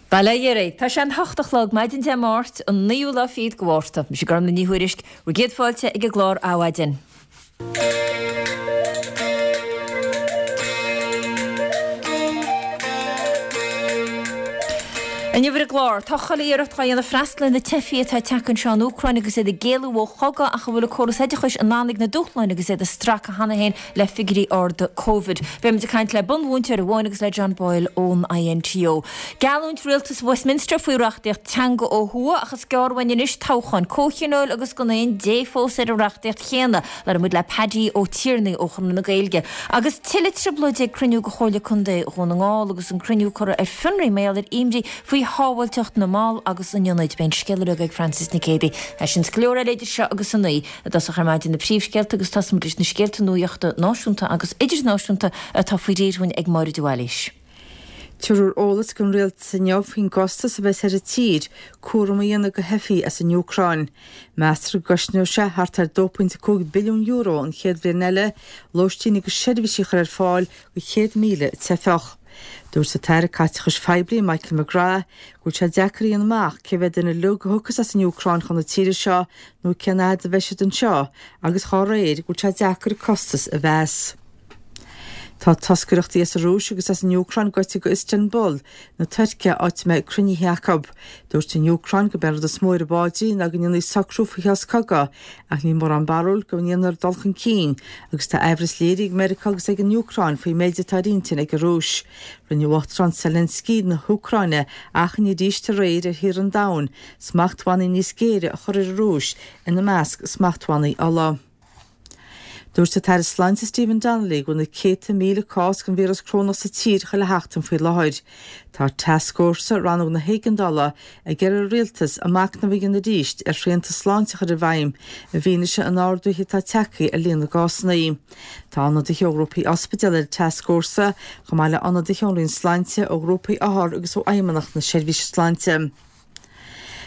Bail ó Dhia oraibh. Tá sé an hocht a chlog, maidin Dé Máirt, an naoú lá fichead de Mhárta. Mise Gormlaith Ní Thuairisg, bhur gcéad fáilte ag an gclár Adhmhaidin. Inniu ar an gclár, tá chuile iarracht dhá dhéanamh freastal ar na teifigh atá ag teacht anseo ón Úcráin agus iad ag éalú ó chogadh ach an bhfuil an córas oideachais in ann ag na dúshláin agus iad ag stracadh cheana féin le figiúirí arda Covid. Beimid ag caint le bunmhúinteoir amháin agus le John Boyle ón INTO. Geallúint rialtas Westminster faoi reachtaíocht teanga ó thuaidh ach is gearr uainn anois toghchán comhthionóil agus gan aon dé fós ar an reachtaíocht chéanna. Labhróidh muid le Paddy Ó Tiarnaigh ó Chonradh na Gaeilge. Agus tuilleadh trioblóide ag cruinniú de Chomhairle Contae Dhún na nGall agus an cruinniú curtha ar fionraí mar gheall ar imní faoi shábháilteacht na mball agus an ionaid. Beidh an scéal uilig ag Frances Nic Géadaigh. É sin is go leor eile idir seo agus a naoi. I dtosach ar maidin na príomhscéalta agus tosóidh muid leis na scéalta nuachta náisiúnta agus idirnáisiúnta atá faoi réir dhúinn ag Máire de Bhailís. Tabharfar eolas don rialtas inniu faoin gcostas a bheas ar an tír cúram a dhéanamh de theifigh as an Úcráin. Meastar go gcosnóidh sé thart ar €2.5 billiún an chéad bhliain eile lóistín agus seirbhísí a chur ar fáil do 100,000 teifeach. Dúirt an tAire Caiteachais Phoiblí Michael McGrath go bhfuil sé deacair a dhéanamh amach cé mhéad duine uilig a thiocfas as an Úcráin chun na tíre seo nó cén fhad a bheidh siad anseo agus dhá réir go bhfuil sé deacair an costas a mheas. Tá toscaireachtaí as an Rúis agus as an Úcráin gaibhte go Istanbul na Tuirce áit a mbeidh cruinnithe acu. Dúirt an Úcráin gurb é an rud is mó ar a bpaidrín ná go ndéanfaí socrú faoi shos cogaidh ach níl mórán barúil go ndéanfar dul chun cinn agus tá aimhreas léirithe ag Meiriceá agus ag an Úcráin faoin méid atá ar intinn ag an Rúis. Rinne Uachtarán Zelensky na hÚcráine achainí arís aréir ar thíortha an domhain smachtbhannaí níos géire a chur ar an Rúis, ina measc smachtbhannaí ola. Dúirt an tAire Sláinte Stephen Donnelly go bhfuil na céadta míle cás den víreas corónach sa tír chuile sheachtain faoi láthair. Tá Tascfhórsa Rannóg na hÉigeandála ag iarraidh ar an Rialtas a machnamh a dhéanamh arís ar shrianta sláinte a chur i bhfeidhm i bhfianaise an ardaithe atá tagtha ar líon na gcásanna. Tá ionadaithe ó ghrúpaí ospidéal ar an tascfhórsa, chomh maith le ionadaithe ón Roinn Sláinte, ó ghrúpaí othar agus ó Fheidhmeannacht na Seirbhíse Sláinte.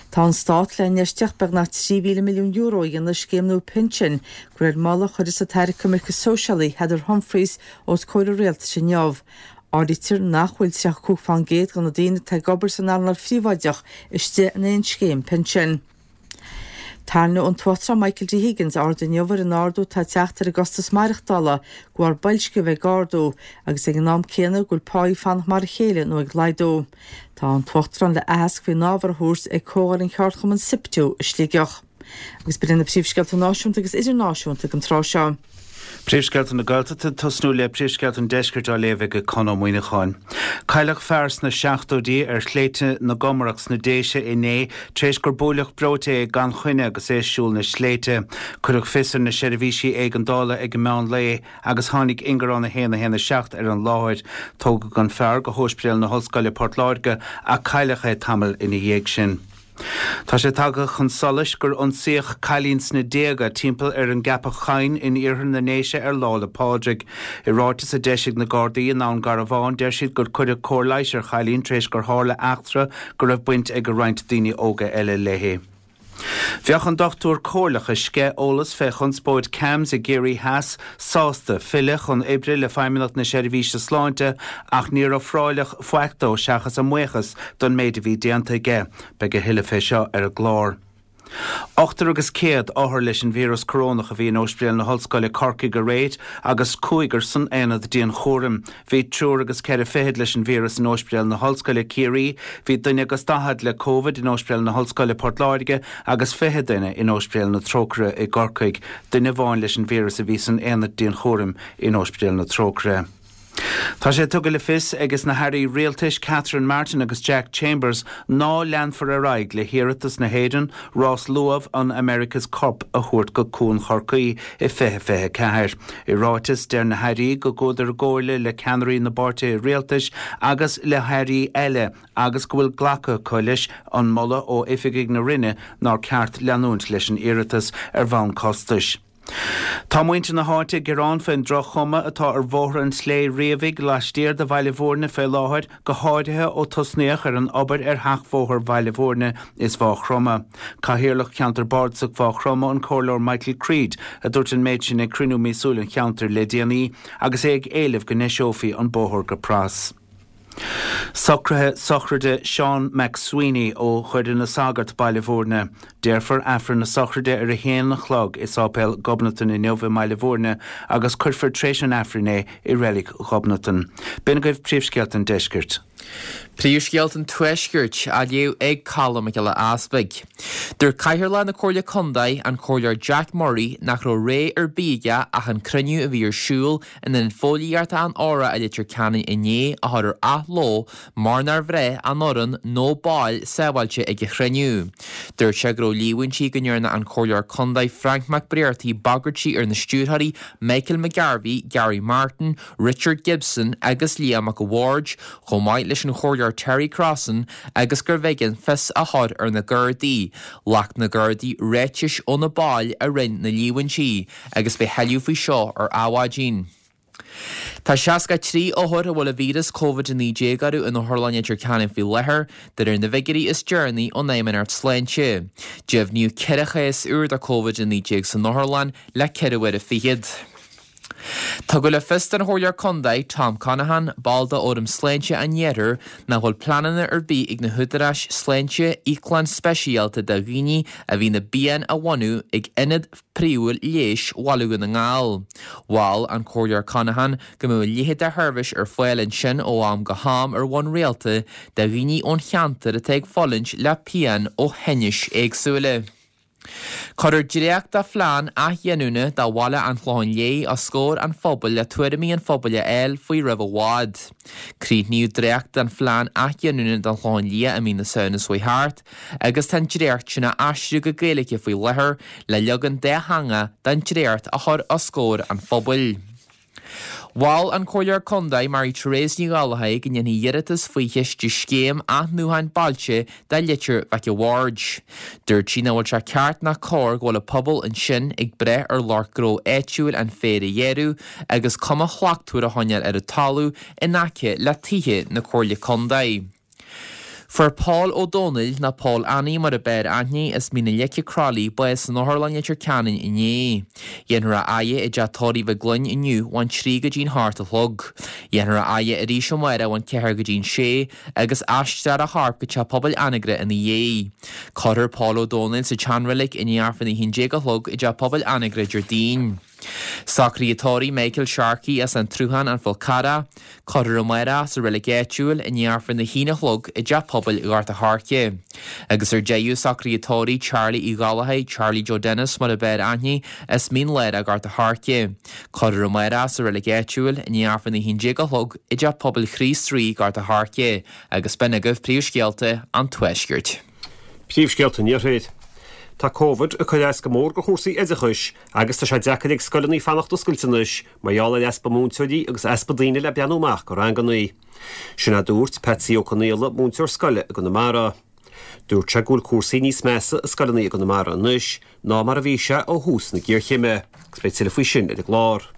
Tá an Stát le infheistíocht beagnach €3,000 milliún a dhéanamh i scéim nua pinsin, de réir moladh a chuirfeas an tAire Coimirce Sóisialaí Heather Humphreys os comhair an Rialtais inniu. Áirítear nach bhfuil 35 fán gcéad de na daoine atá ag obair san earnáil phríobháideach istigh in aon scéim pinsin. Tarraingeoidh an tUachtarán Michael D. Higgins aird inniu ar an ardú atá ag teacht ar an gcostas maireachtála de bharr boilsciú a bheith ag ardú agus ag an am céanna go bhfuil páí ag fanacht mar a chéile nó ag laghdú. Tá an tUachtarán le aitheasc faoin ábhar a thabhairt ag comhdháil an cheardchumainn SIPTU i Sligeach. Agus b'in iad na príomhscéalta náisiúnta agus idirnáisiúnta ag an tráth seo. Príomhscéalta na Gaeltachta, tosnú le príomhscéalta an Deiscirt á léamh ag Conn Ó Muíneacháin. Cailleadh fear sna seachtóidí ar shléibhte na gComarach sna Déise inné tar éis gur buaileadh breoite é gan choinne agus é ag siúl na sléibhte. Cuireadh fios ar na seirbhísí éigeandála ag an meán lae agus tháinig ingearán 1 1 7 ar an láthair. Tógadh an fear go hÓispidéal na hOllscoile Port Láirge ach cailleadh é tamall ina dhiaidh sin. Tá sé tagtha chun solais gur ionsaíodh cailín sna déaga timpeall ar an gCeapach Choinn in iarthar na nDéise ar Lá 'le Pádraig. I ráiteas a d'eisigh na Gardaí i nDún Garbhán, deir siad gur cuireadh cóir leighis ar chailín tar éis gur tharla eachtra go raibh baint ag roinnt daoine óga eile léi. Bheadh an dochtúir comhairleach a sceith eolas fé chonspóid CAMHS i gCiarraí Theas sásta filleadh chun oibre le Feidhmeannacht na Seirbhíse Sláinte ach níor ofráileadh faic dó seachas a mbuíochas don méid a bhí déanta aige. Beidh a thuilleadh fé seo ar an gclár. Ochtar agus 100 othar leis an víreas corónach a bhí in Óispidéal na hOllscoile Corcaigh aréir agus cúigear san aonad dianchúraim. Bhí triúr agus 24 leis an víreas in Óispidéal na hOllscoile Ciarraí, bhí duine agus 40 le Covid in Óispidéal na hOllscoile Port Láirge agus 20 duine in Óispidéal na Trócaire i gCorcaigh. Duine amháin leis an víreas a bhí san aonad dianchúraim in Óispidéal na Trócaire. Tá sé tugtha le fios ages na hairí rialtais Catherine Martin agus Jack Chambers ná leanfar ar aghaidh le hiarratas na hÉireann rás luamh an America's Cup a thabhairt go Cuan Chorcaí i 2024. I ráiteas, deir na hairí go gcuadar i gcomhairle le ceannairí na bpáirtithe rialtais agus le hairí eile agus go bhfuil glactha acu leis an moladh ó oifigigh na Roinne nár ceart leanúint leis an iarratas ar bhonn costais. Tá muintir na háite ag gearán faoin droch-chuma atá ar Bhóthar an tSlé Riabhaigh laistiar de Bhaile Bhúirne fé láthair, go háirithe ó tosnaíodh ar an obair ar sheachbhóthar Bhaile Bhúirne is Mhaigh Chromtha. Cathaoirleach Cheantar Bardasach Mhaigh Chromtha, an Comhairleoir Michael Creed, a dúirt an méid sin ag cruinniú míosúil an cheantair le déanaí agus é ag éileamh go ndeiseofaí an bóthar go pras. Socruithe sochraide Seán McSweeney ó Dhoire na Sagart, Baile Bhúirne. Déarfar Aifreann na sochraide ar a haon a chlog i Sáipéal Ghobnatan inniu i mBaile Bhúirne agus cuirfear tréis an Aifrinn é i Reilig Ghobnatan. B'in agaibh príomhscéalta an deiscirt. Príomhscéalta an Tuaiscirt á léamh ag Colm Mac Giolla Easpaig. Dúirt Cathaoirleach na Comhairle Contae, an Comhairleoir Jack Murray, nach raibh rogha ar bith aige ach an cruinniú a bhí ar siúl in Ionad Fóillíochta an Óra i Leitir Ceanainn inné a chur ar athló mar nár bhraith an fhoireann nó baill sábháilte ag an chruinniú. Dúirt sé go raibh líomhaintí go ndearna an Comhairleoir Contae Frank McBrearty bagairtí ar na stiúrthóirí Michael McGarvey, Gary Martin, Richard Gibson agus Liam Mac a' Bhaird chomh maith leis an Chomhairleoir Terry Crossan agus gurbh éigean fios a chur ar na Gardaí. Ghlac na Gardaí ráitis ó na baill a rinne na líomhaintí. agus beidh tuilleadh faoi seo ar Adhmhaidin. Tá 63 othar a bhfuil an víreas Covid-19 orthu in Otharlann Leitir Ceanainn faoi láthair, de réir na bhfigiúirí is deireanaí ón Fheidhmeannacht Sláinte. Deimhníodh 4 chás úr de Covid-19 san otharlann le ceithre huaire fichead. Tugadh le fios don Chomhairleoir Contae, Tom Conaghan, ball de Fhóram Sláinte an Iarthair, nach bhfuil pleananna ar bith ag na húdaráis sláinte íoclann speisialta do dhaoine a bhíonn i bpian a bhunú ag ionad príomhúil leighis Bhaile Dhún na nGall. Mhol an Comhairleoir Conaghan go mbeadh a leithéid de sheirbhís ar fáil ansin ó am go ham ar bhonn rialta do dhaoine ón cheantar atá ag fulaingt le pian ó thinnis éagsúla. Cuirfear dréacht de phlean athghiniúna do bhaile an Chlocháin Léith os comhair an phobail le tuairimí an phobail a fháil faoi roimh i bhfad. Críochnaíodh dréacht den phlean athghiniúna don Chlochán Liath i mí na Samhna seo chuaigh thart agus tá an dréacht sin á aistriú go Gaeilge faoi láthair le leagan dátheangach den dréacht a chur os comhair an phobail. Mhol an Comhairleoir Contae Mary Therese Ní Ghallchóir go ndéanfaí iarratas faoi chiste Scéim Athnuachan Bailte do Leitir Mhic a' Bhaird. Dúirt sí nach bhfuil sé ceart ná cóir go bhfuil an pobal ansin ag brath ar lucht gnó áitiúil an féar a ghearradh agus cuma shlachtmhar a choinneáil ar an talamh in aice le tithe na Comhairle Contae. Fuair Pól Ó Dónaill, nó Pól Annie mar a b'fhearr aithne, as Mín na Leice Croithlí, bás san Otharlann Leitir Ceanainn inné. Dhéanfar a fhaire i dteach tórraimh Mhaigh Gloinn inniu ón trí go dtí'n hocht a chlog. Dhéanfar a fhaire arís amárach ón ceathair go dtí'n sé agus aistreofar a chorp go Teach Pobail Anagaire ina dhiaidh. Cuirfear Pól Ó Dónaill sa tseanreilig i ndiaidh Aifreann a haon déag a chlog i dTeach Pobail Anagaire Déardaoin. Socruithe tórraimh Michael Sharkey as An tSruthán, An Fál Carrach. Cuirfear amárach sa reilig áitiúil i ndiaidh Aifreann a haon a chlog i dTeach Pobail Ghort a' Choirce. Agus ar deireadh, socruithe tórraimh Charlie Uí Ghallchóir, Charlie Joe Dennis mar a b'fhearr aithne, as Mín Lárach Gort a' Choirce. Cuirfear amárach sa reilig áitiúil i ndiaidh Aifreann a haon déag a chlog i dTeach Pobail Chríost Rí, Gort a' Choirce. Agus b'in agaibh príomhscéalta an Tuaiscirt. Príomhscéalta an Iarthair. Tá Covid ag cur as go mór do chúrsaí oideachais agus tá sé deacair ag scoileanna fanacht oscailte anois mar gheall ar easpa múinteoirí agus easpa daoine le breathnú amach do ranganna. Sin a dúirt Patsy Ó Conaola, múinteoir scoile i gConamara. Dúirt sé go bhfuil cúrsaí níos measa i scoileanna i gConamara anois ná mar a bhí sé ó thús na géarchéime agus beidh tuilleadh faoi sin ar an gclár.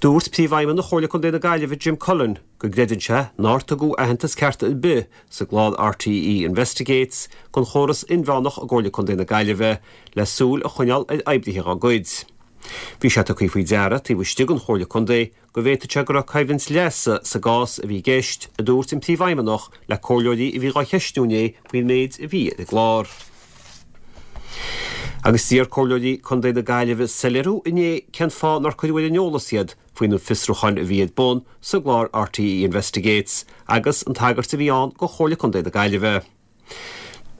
Dúirt Príomhfheidhmeannach Chomhairle Contae na Gaillimhe Jim Cullen go gcreideann sé nár tugadh aitheantas ceart ar bith sa gclár RTÉ Investigates don chóras inmheánach i gComhairle Contae na Gaillimhe le súil a choinneáil ar oibrithe dá gcuid. Bhí sé tugtha faoi deara taobh istigh den Chomhairle Contae go bhféadfadh sé go raibh coimhlint leasa sa gcás a bhí i gceist, a dúirt an Príomhfheidhmeannach le comhairleoirí a bhí dhá cheistiú inné faoin méid a bhí ar an gclár. Agus d'iarr comhairleoirí contae na Gaillimhe soiléiriú inné cén fáth nár cuireadh ar an eolas iad faoi na fiosrúcháin a bhí ar bun sa gclár RTÉ Investigates agus an tagairt a bhí ann do Chomhairle Contae na Gaillimhe.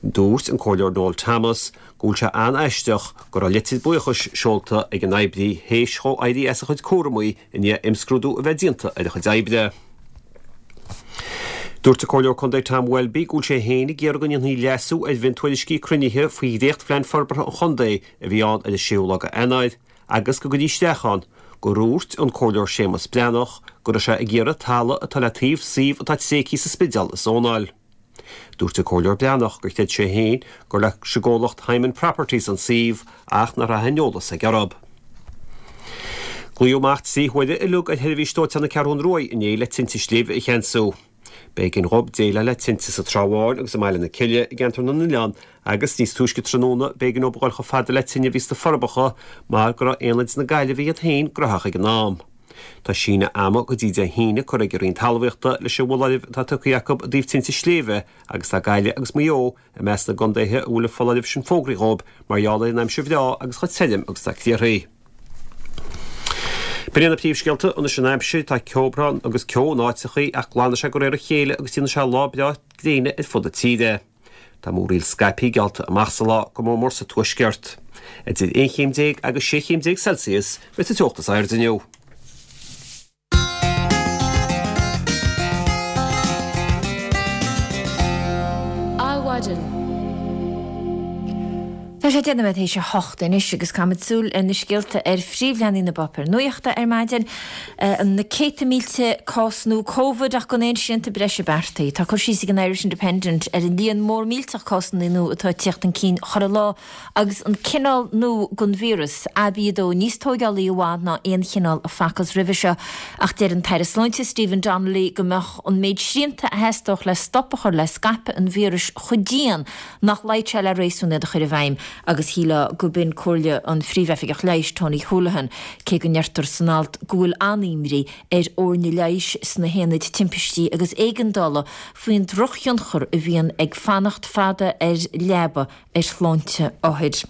Dúirt an Comhairleoir Noel Thomas go bhfuil sé an-aisteach go raibh litir buíochais seolta ag an oibrí théis dhó éirí as a chuid cúramaí i ndiaidh imscrúdú a bheith déanta ar a chuid oibre. Dúirt an Comhairleoir Contae Tom Welby go bhfuil sé féin ag iarraidh go ndéanfaí leasú ar mhiontuairiscí cruinnithe faoi dhréachtphlean forbartha an chontae a bhí ann ar an séú lá d'Eanáir agus go gcuirfí isteach ann gur dhúirt an Comhairleoir Séamus Breathnach go raibh sé ag iarraidh talamh atá le taobh suíomh atá tréigthe sa Spidéal a zónáil. Dúirt an Comhairleoir Breathnach gur chreid sé féin gur leis an gcomhlacht Hyman Properties an suíomh ach nach raibh aon eolas aige orthu. Glaodh amach 3 huaire uilig ar sheirbhís dóiteáin na Ceathrún Ruaidh inné le tinte sléibhe a cheansú. B'éigean dhób déileáil le tinte sa Trá Bháin agus i mBaile na Cille i gCeantar na nOileán agus níos túisce tráthnóna b'éigean dóibh a dhul chomh fada le tine a bhí sna Forbacha mar go raibh aonaid na Gaillimhe iad féin gnóthach ag an am. Tá síneadh ama go dtí Dé hAoine curtha ag an Roinn Talmhaíochta leis an bhfoláireamh atá tugtha acu i dtaobh tinte sléibhe agus tá Gaillimh agus Maigh Eo i measc na gcontaetha a bhfuil an foláireamh sin fógraithe dhóibh mar gheall ar an aimsir bhreá agus chomh tirim agus atá criathraí. B'in iad na príomhscéalta anois an aimsir, tá ceobhrán agus ceo in áiteachaí ach glanfaidh sé de réir a chéile agus déanfaidh sé lá breá gréine ar fud na tíre. Tá múraíl scaipthe geallta amach sa lá, go mór mór sa tuaisceart. Idir 11 chéim agus 16 chéim Celsius a bheidh sa teocht is airde inniu. Adhmhaidin. Tá sé 10 nóiméad théis a hocht anois agus caithfimid súil ar na scéalta ar phríomhleathanaigh na bpáipéar nuachta ar maidin. Na céadta mílte cás nua Covid ach gan aon srianta breise beartaithe. Tá cur síos ag an Irish Independent ar an líon mór millteach cásanna nua atá ag tíocht chun cinn chuile lá agus an cineál nua den víreas, ABA2, níos tóigeálaí i bhfad ná aon chineál a facthas roimhe seo. Ach deir an tAire Sláinte Stephen Donnelly go mbeadh an méid srianta a theastódh le stop a chur le scaipeadh an víris chomh dian nach luífeadh sé le réasún iad a chur i bhfeidhm agus shílfeá go b'in comhairle an Phríomh-Oifigeach Leighis, Tony Holohan, cé go ndeirtear san alt go bhfuil an-imní ar fhoirne leighis sna haonaid timpistí agus éigeandála faoin drochthionchar a bhíonn ag fanacht fada ar leaba ar shláinte othair.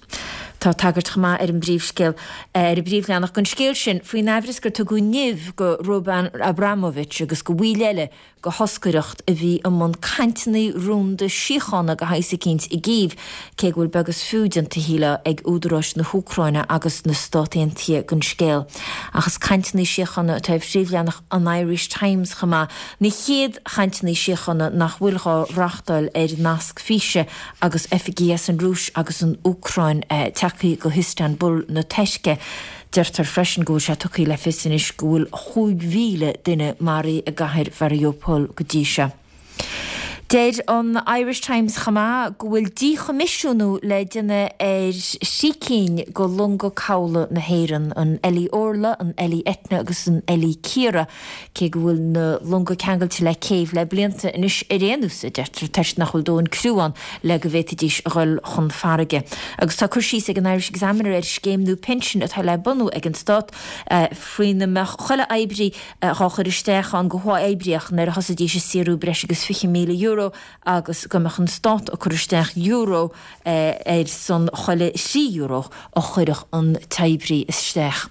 Tá tagairt chomh maith ar an bpríomhscéal ar an bpríomhleathanach don scéal sin faoin aimhreas gur tugadh nimh go Roman Abramovich agus go bhaill eile de thoscaireacht a bhí i mbun cainteanna rúnda síochána de shaghas eicínt i gCív, cé go bhfuil beag is fiú déanta, shílfeá, ag údaráis na hÚcráine agus na Stát Aontaithe den scéal. Ach is cainteanna síochána atá ar phríomhleathanach an Irish Times chomh maith, na chéad chainteanna síochána nach bhfuil dhá reáchtáil ar nasc físe agus oifigigh as an Rúis agus an Úcráin tagtha go hIstanbul na Tuirce. Deirtear freisin go bhfuil sé tugtha le fios anois go bhfuil 5,000 duine maraithe i gcathair Mhariupol go dtí seo. Deir an Irish Times chomh maith go bhfuil díchoimisiúnú le déanamh ar thrí cinn de longa cabhlaigh na hÉireann, an Ellie Orla, an Ellie Etna agus an Ellie Ciara, cé go bhfuil na longa ceangailte le céibh le blianta anois ar aon nós, a deirtear, toisc nach bhfuil dóthain criú ann le go bhféadfaidís a dhul chun farraige. Agus tá cur síos ag an Irish Examiner ar scéim nua pinsin atá le bunú ag an Stát faoina mbeadh chuile oibrí dhá chur isteach ann go huathoibríoch nuair a thosaídís ag saothrú breis agus €20,000 agus go mbeadh an Stát ag cur isteach euro ar son chuile €3 a chuirfeadh an t-oibrí isteach.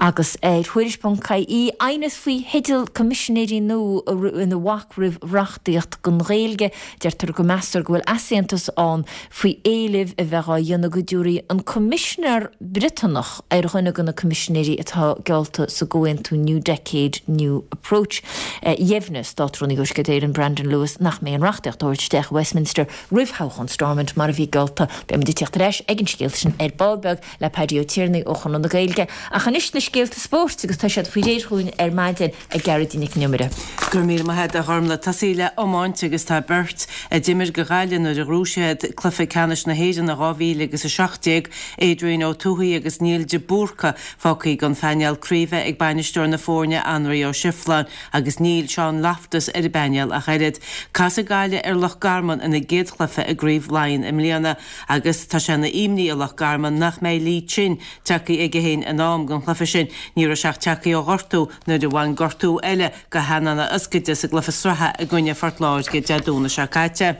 Agus ar Thuairisc.ie, aighneas faoi theideal coimisinéirí nua ina bhac roimh reachtaíocht don Ghaeilge. Deirtear go meastar go bhfuil easaontas ann faoi éilimh a bheith á dhéanamh go dtabharfaí an Coimisinéir Briotanach ar dhuine de na coimisinéirí atá geallta sa gcomhaontú New Decade, New Approach. Dheimhnigh Státrúnaí Thuaisceart Éireann Brandon Lewis nach mbeidh an reachtaíocht á thabhairt isteach i Westminster roimh thoghchán Stormont mar a bhí geallta. Beidh muid ag tíocht ar ais ag an scéal sin ar ball beag le Paddy Ó Tiarnaigh ó Chonradh na Gaeilge. Ach anois na scéalta spóirt agus tá siad faoi réir chugainn ar maidin ag Gearóidín Nic an Iomaire. Go raibh míle maith agat a Ghormlaith. Tosaí le iomáint agus tá beirt a d'imir do Ghaillimh nuair a ghnóthaigh siad cluiche ceannais na hÉireann in 2017, Adrian Ó Tuathaigh agus Niall de Búrca, fágtha den phainéal craoibhe ag bainisteoir na foirne Anraí Ó Sifleáin agus níl Seán Loftus ar an bpainéal ach oiread. Casfaidh Gaillimh ar Loch Garman ina gcéad chluiche i gCraobh Laighean i mbliana agus tá sé ina imní i Loch Garman nach mbeidh Lee Chin tagtha chuige féin in am don chluiche sin. Ní raibh sé ach tagtha ó ghortú nuair a bhain gortú eile de theannán a ioscaide sa gcluiche sraithe i gcoinne Phort Láirge Dé Domhnaigh seo caite.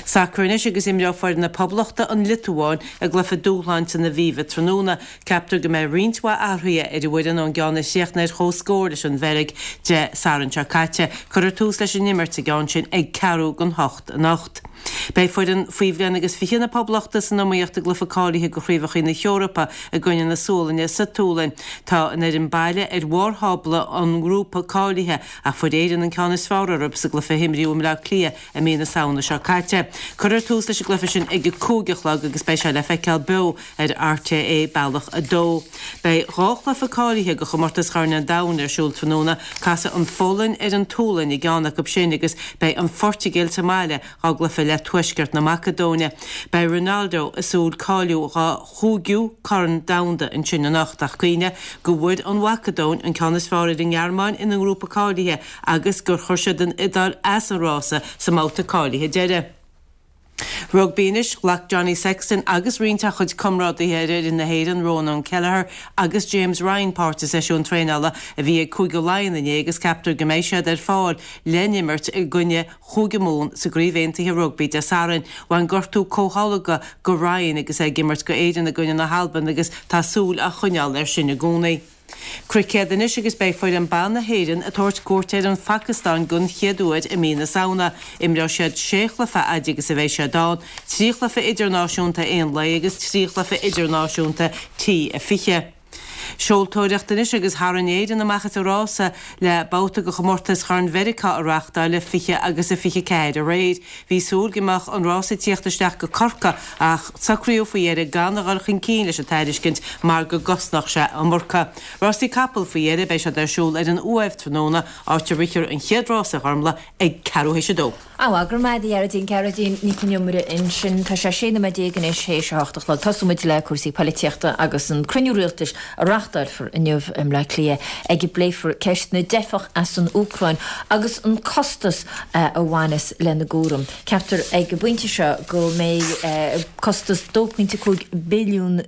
Sacar anois agus imreoidh foireann na Poblachta an Liotuáin i gcluiche dúshláin san Aviva tráthnóna. Ceaptar go mbeidh roinnt mhaith athruithe ar an bhfoireann ón gceann a chríochnaigh ar comhscór leis an Bheilg Dé Sathairn seo caite. Cuirfear tús leis an imirt sa gceann sin ag ceathrú don hocht anocht. Beidh foireann faoi bhliain agus 20 na Poblachta san iomaíocht i gcluiche cáilithe do Chraobhacha na hEorpa i gcoinne na Sualainne sa tSualainn. Tá an fhoireann baile ar bharr thábla an ngrúpa cáilithe ach fuair Éirinn an ceann is fearr orthu sa gcluiche a himríodh i mBleá Cliath i mí na Samhna seo caite. Cuirfear tús leis an gcluiche sin ag a 5 a chlog agus beidh sé le feiceáil beo ar RTÉ Bealach 2. Beidh dhá chluiche cáilithe do chomórtas Chorn an Domhain ar siúl tráthnóna. Casfaidh an Pholainn ar an tSualainn i gceann acu sin agus beidh an Phortaingéil sa mbaile dhá gcluiche le Tuaisceart na Macadóine. Beidh Ronaldo ag súil cáiliú dhá chúigiú Corn Domhanda ansin anocht ach cuimhnigh go bhfuair an Mhacadóin an ceann is fearr ar an nGearmáin ina ngrúpa cáilithe agus gur chuir siad an Iodáil as an rása sa mbabhta cáilithe deiridh. Rugbaí anois, Ghlac Johnny Sexton agus roinnt dá chuid comrádaithe ar fhoireann na hÉireann, Ronan Kelleher agus James Ryan páirt i seisiún traenála a bhí ag Cúige Laighean inné agus ceaptar go mbeidh siad ar fáil le n-imirt i gcoinne Chúige Mumhan sa gCraobh Aontaithe Rugbaí Dé Sathairn. Bhain gortú comhtholgtha go Ryan agus é ag imirt go Éirinn i gcoinne na hAlban agus tá súil á choinneáil air sin i gcónaí. Cruicéad anois agus beidh foireann ban na hÉireann ag tabhairt cuairt ar an Phacastáin den chéad uair i mí na Samhna. Imreoidh siad sé chluiche a fhaid agus a bheidh siad ann, trí chluiche idirnáisiúnta aon lae agus trí chluiche idirnáisiúnta T20. Seoltóireacht anois agus tharraing Éirinn amach as an rása le babhta de chomórtas Chorn Mheiriceá a reáchtáileadh 20 agus 24 aréir. Bhí súil go mbeadh an rás ag tíocht isteach go Corcaigh ach socraíodh faoi dheireadh gan a dhul chun cinn leis an tairiscint mar go gcosnódh sé iomarca. Rásaí capall faoi dheireadh, beidh siad ar siúl ar an Uaimh tráthnóna, áit a rithfear an chéad rás a Ghormlaith ag ceathrú théis a dó. Á, go raibh maith agat a Ghearóidín, Gearóidín Nic Con Iomaire ansin. Tá sé 16 nóiméad anois théis a hocht a chlog. Tosóidh muid le cúrsaí poilitíochta agus an cruinniú rialtais a reáchtáilfear inniu i mBleá Cliath ag a bpléifear ceist na dteifeach as an Úcráin agus an costas a bhaineas lena gcúram. Ceaptar ag an bpointe seo go mbeidh costas €2.5 billiún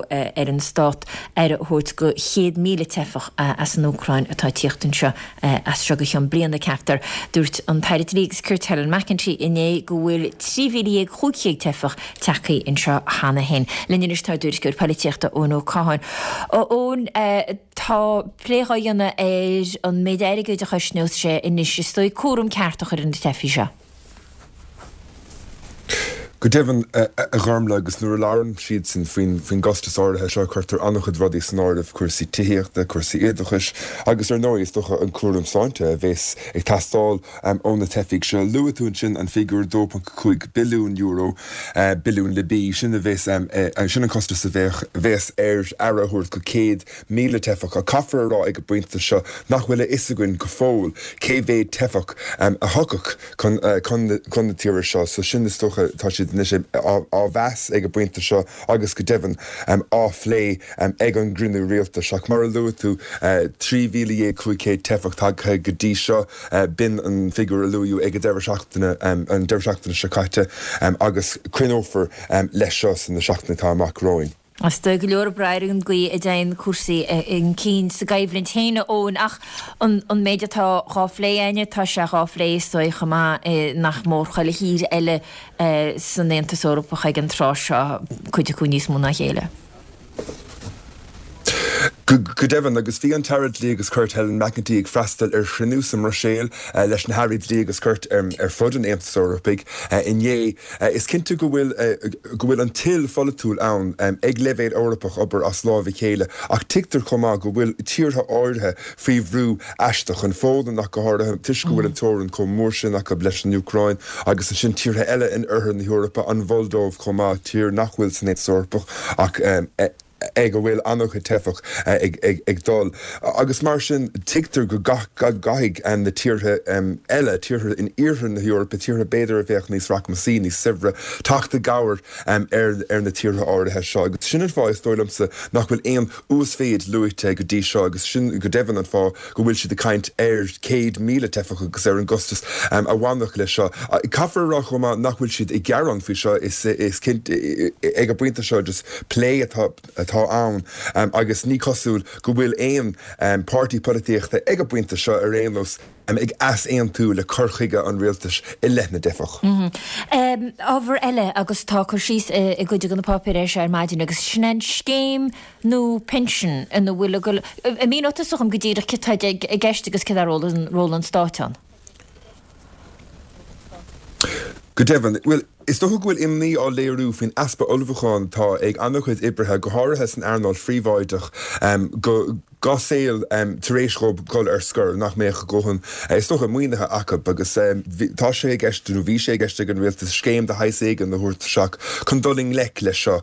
ar an stát aire a thabhairt do 100,000 teifeach as an Úcráin atá ag tíocht anseo as seo go ceann bliana, ceaptar. Dúirt an tAire Dlí agus Cirt Helen McEntee inné go bhfuil 13,500 teifeach tagtha anseo cheana féin. Linn anois tá ár dtuairisceoir polaitíochta Eoin Ó Catháin. Eoin, tá plé dhá dhéanamh ar an méid airgid a chosnós sé anois is dóigh cúram ceart a chur ar na teifigh seo. Go deimhin, a Ghormlaith, agus nuair a labhrann siadsan faoin gcostas áirithe seo, cuirtear an-chuid rudaí san áireamh, cúrsaí tithíochta, cúrsaí oideachais agus, ar ndóigh, is dócha an cúram sláinte a bheas ag teastáil ó na teifigh seo. Luaigh tú ansin an figiúr €2.5 billiún, billiún le B, sin a bheas, sin an costas a bheas ar aire a thabhairt go 100,000 teifeach. Ach caithfear a rá ag an bpointe seo nach bhfuil a fhios againn go fóill cé mhéad teifeach a thiocfadh chun chun na tíre seo. So sin is dócha, tá siad anois á mheas ag an bpointe seo agus go deimhin á phlé ag an gcruinniú rialtais. Ach mar a luaigh tú, 13,500 teifeach tagtha go dtí seo, b'in an figiúr a luaíodh ag an deireadh seachtaine, an deireadh seachtaine seo caite, agus coinneofar leis seo sna seachtainí atá amach romhainn. Is dóigh go leor ag brath ar an gcaoi a dtéann cúrsaí chun cinn sa gcoimhlint féin, a Eoin, ach an méid atá dhá phlé a'inne, tá sé dhá phlé is dóigh chomh maith i nach mór chuile thír eile san Aontas Eorpach ag an tráth seo, cuid acu níos mó ná a chéile. Go deimhin, agus bhí an tAire Dlí agus Cirt Helen McEntee ag freastal ar chruinniú sa mBruiséil leis na hAirí Dlí agus Cirt ar fud an Aontais Eorpaigh inné. Is cinnte go bhfuil go bhfuil an toil pholaitiúil ann ag leibhéal Eorpach obair as láimh a chéile ach tuigtear chomh maith go bhfuil tíortha áirithe faoi bhrú aisteach, an Pholainn ach go háirithe toisc go bhfuil an teorainn chomh mór sin acu leis an Úcráin agus ansin tíortha eile in oirthear na hEorpa, an Mholdóiv chomh maith, tír nach bhfuil san Aontas Eorpach ach ag a bhfuil an-chuid teifeach ag dul. Agus mar sin, tuigtear go gcaithfidh na tíortha eile, tíortha in iarthar na hEorpa, tíortha b'fhéidir a bheadh níos rachmasaí, níos saibhre, teacht i gcabhair ar na tíortha áirithe seo. Agus sin an fáth, is dóigh liomsa, nach bhfuil aon uasmhéid luaite go dtí seo agus sin go deimhin an fáth go bhfuil siad ag caint ar 100,000 teifeach agus ar an gcostas a bhainfeadh leis seo. Caithfear a rá chomh maith nach bhfuil siad ag gearán faoi seo, is cinnte ag an bpointe seo just plé atá atá ann agus ní cosúil go bhfuil aon páirtí polaitíochta ag an bpointe seo ar aon nós ag easaontú le cur chuige an rialtais i leith na dteifeach. Ábhar eile agus tá cur síos i gcuid de na páipéir air seo ar maidin agus sin é an scéim nua pinsean ina bhfuil ag dul, an míneoidh tusa dhom go díreach céard atá i gceist agus céard é ról an stáit ann? Go deimhin, bhuel, is dócha go bhfuil imní á léiriú faoin easpa ullmhúcháin atá ag an-chuid oibrithe, go háirithe san earnáil phríobháideach, go dá saol tar éis dhóibh dul ar scor, nach mbeadh a ndóthain, is dócha, maoinithe acu. Agus tá sé i gceist, nó bhí sé i gceist ag an rialtas scéim de shaghas éigin a thabhairt isteach chun dul i ngleic leis seo.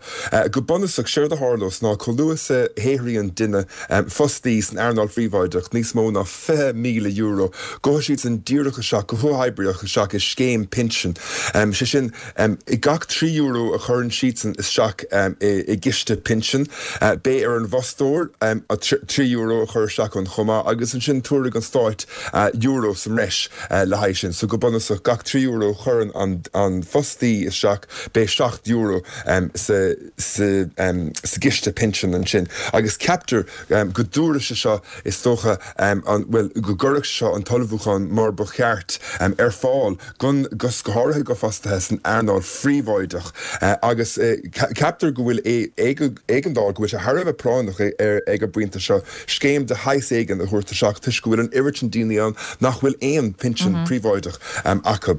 Go bunúsach, séard a tharlós ná chomh luath is a shaothraíonn duine fostaí san earnáil phríobháideach níos mó ná €20,000, gabhfaidh siadsan díreach isteach, go huathoibríoch isteach i scéim pinsin. Sé sin, gach €3 a chuireann siadsan isteach i gciste pinsin, beidh ar an bhfostóir €3. €3 a chur isteach ann chomh maith agus ansin tabharfaidh an stáit euro sa mbreis le haghaidh sin. So go bunúsach gach €3 a chuireann an fostaí isteach beidh €7 sa sa gciste pinsean ansin agus ceaptar go dtabharfaidh sé seo is dócha an bhuel go gcuirfeadh sé seo an t-ullmhúchán mar ba cheart ar fáil gon go háirithe go fostaithe san earnáil phríobháideach agus ceaptar go bhfuil éigeandáil, go bhfuil sé thar a bheith práinneach ag an bpointe seo scéim de shaghas éigin a thabhairt isteach toisc go bhfuil an oiread sin daoine ann nach bhfuil aon phinsean príobháideach acu.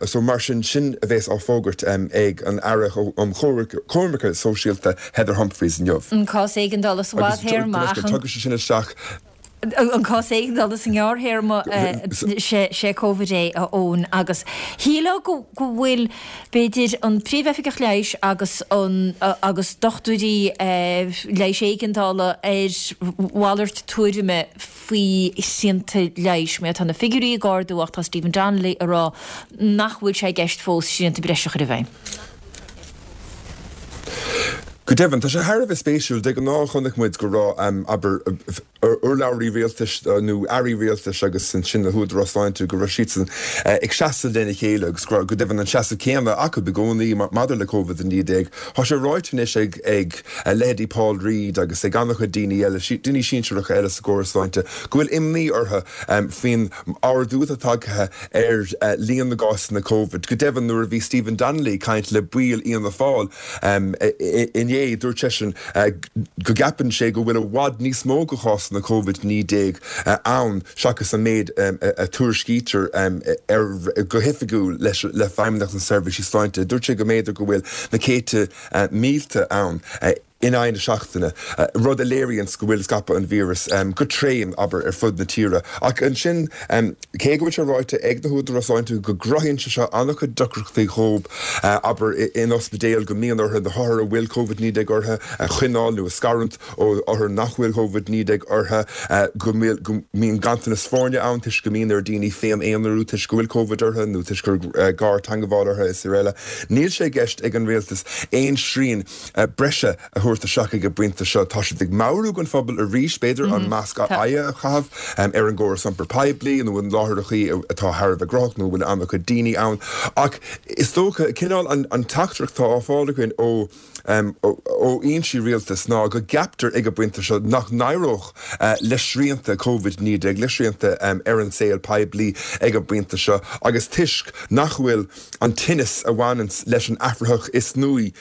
So mar sin, sin a bheas á fógairt ag an Aire um Choimirce Sóisialta Heather Humphreys inniu. An cás éigeandála sa bhfadthéarma ach an. Tugadh sé sin isteach. an cás éigeandála sa ngearrthéarma sé Covid é, a Eoin, agus shílfeá go bhfuil, b'fhéidir, an Príomh-Oifigeach Leighis agus an agus dochtúirí leighis éigeandála ar mhalairt tuairime faoi shrianta leighis. Mar tá na figiúirí ag ardú ach tá Stephen Donnelly ag rá nach bhfuil sé i gceist fós srianta breise a chur i bhfeidhm. Go deimhin, tá sé thar a bheith spéisiúil. De ghnáth chonaic muid go raibh, abair, urlabhraí rialtais nó airí rialtais agus ansin na húdaráis sláinte, go raibh siadsan ag seasamh lena chéile agus go raibh, go deimhin, an seasamh céanna acu i gcónaí maidir le Covid-19. Tá sé ráite anois ag ag leithéidí Paul Reid agus ag an-chuid daoine eile, daoine sinsearacha eile sa gcóras sláinte, go bhfuil imní orthu faoin ardú atá tagtha ar líon na gcásanna Covid. Go deimhin, nuair a bhí Stephen Donnelly ag caint le baill Fhianna Fáil inné, dúirt seisean go gceapann sé go bhfuil i bhfad níos mó de chásanna Covid-19 ann seachas an méid a tuairiscítear go hoifigiúil le Feidhmeannacht na Seirbhísí Sláinte. Dúirt sé go mb'fhéidir go bhfuil na céadta mílte ann. in aghaidh na seachtaine, rud a léiríonns go bhfuil scaipeadh an víris go tréan, abair, ar fud na tíre. Ach ansin, cé go bhfuil sé ráite ag na húdaráis sláinte go gcruthaíonn sé seo an-chuid deacrachtaí dhóibh, abair, in ospidéil, go mbíonn orthu na hothair a bhfuil Covid-19 orthu a choinneáil nó a scarúint ó othair nach bhfuil Covid-19 orthu, go mbíonn ganntanas foirne ann toisc go mbíonn ar dhaoine féin-aonarú toisc go bhfuil Covid orthu nó toisc gur gartheagmháil orthu is araile. Níl sé i gceist ag an rialtas aon srian breise a thabhairt isteach ag an bpointe seo. Tá siad ag meabhrú don phobal arís, b'fhéidir, an masc aghaidhe a chaitheamh ar an gcóras iompair poiblí nó i láithreachaí atá thar a bheith gnóthach nó a bhfuil an-chuid daoine ann. Ach is dócha, cineál an teachtaireacht atá á fáil againn ó ó fhoinsí rialtais ná go gceaptar ag an bpointe seo nach n-éireodh le srianta Covid-19, le srianta ar an saol poiblí ag an bpointe seo agus toisc nach bhfuil an tinneas a bhaineanns leis an athraitheach is nuaí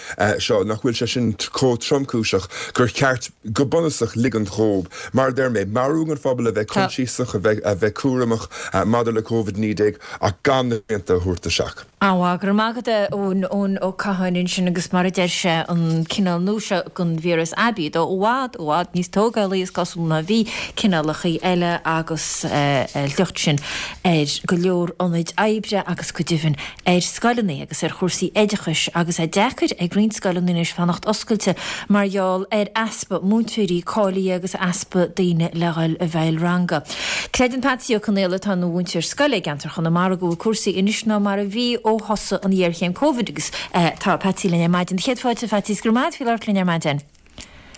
seo, nach bhfuil sé sin chomh tromchúiseach gur cheart go bunúsach ligint dhóibh, mar a deir mé, meabhrú don phobal a bheith coinsiasach, a bheith a bheith cúramach maidir le Covid-19 ach gan na srianta a thabhairt isteach. An-mhaith, go raibh maith agat a Eoin, Eoin Ó Catháin ansin agus mar a deir sé, an cineál nua seo den víreas aibí, dó i bhfad, i bhfad níos tógálaí is cosúil ná bhí cineálacha eile agus a shliocht sin ar go leor ionaid oibre agus go deimhin ar scoileanna agus ar chúrsaí oideachais agus é deacair ag roinnt scoileanna anois fanacht oscailte mar gheall ar easpa múinteoirí cáilithe agus easpa daoine le dhul i bhfeighil ranga. Creideann Patsy Ó Conaola atá ina mhúinteoir scoile i gceantar Chonamara go bhfuil cúrsaí anois ná mar a bhí ó thosaigh an ghéarchéim Covid agus tá Patsy linn ar maidin. Céad fáilte a Phatsy is go raibh maith agat faoi labhairt linn ar maidin.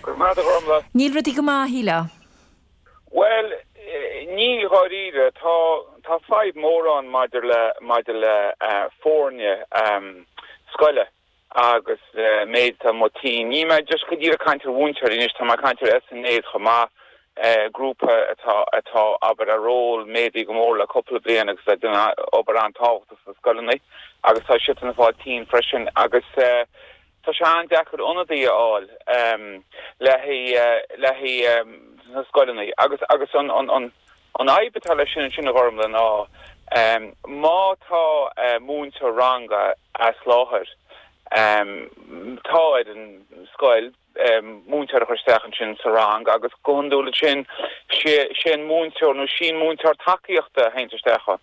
Go raibh maith agat a Ghormfhlaith. Níl rudaí go maith, a shílfeá. Bhuel, níl dháiríre. Tá, tá fadhb mór ann maidir le, maidir le foirne scoile agus méid atá amuigh tinn. Níl mé just go díreach ag caint ar mhúinteoirí anois, tá mé ag caint ar SNAs chomh maith, grúpa atá, atá, abair, a ról méadaithe go mór le cúpla bliain agus ag déanamh obair an-tábhachtach sna scoileanna agus tá siadsan ag fáil tinn freisin agus. Tá sé an-deacair ionadaí a fháil le haghaidh le haghaidh na scoileanna agus agus an an an an fhadhb atá leis sin ansin a Ghormfhlaith ná má tá múinteoir ranga as láthair tá ar an scoil múinteoir a chur isteach ansin sa rang agus go hiondúil ansin sé sé an múinteoir nó sí an múinteoir tacaíochta a théanns isteach ann.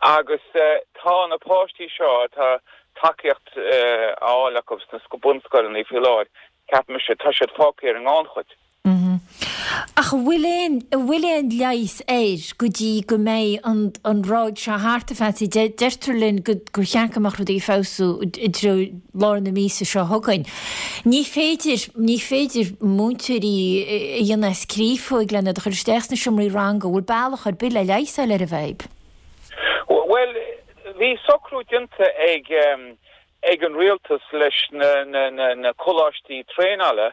Agus tá na páistí seo atá tacaíocht á fháil acu sna bunscoileanna faoi láthair, ceapaimse, tá siad fágtha ar an ngannchuid. Ach an bhfuil aon, an bhfuil aon leigheas air go dtí go mbeidh an, an ráig seo thart, a Phatsy? Deirtear linn go, gur cheart go mbeadh rudaí ag feabhsú i dtreo lár na míosa seo chugainn. Ní féidir, ní féidir múinteoirí a dhéanamh as créafóig len iad a chur isteach sna seomraí ranga. An bhfuil bealach ar bith le leigheas a fháil ar an bhfadhb? Bhuel, bhí socrú déanta ag, ag an rialtas leis na coláistí traenála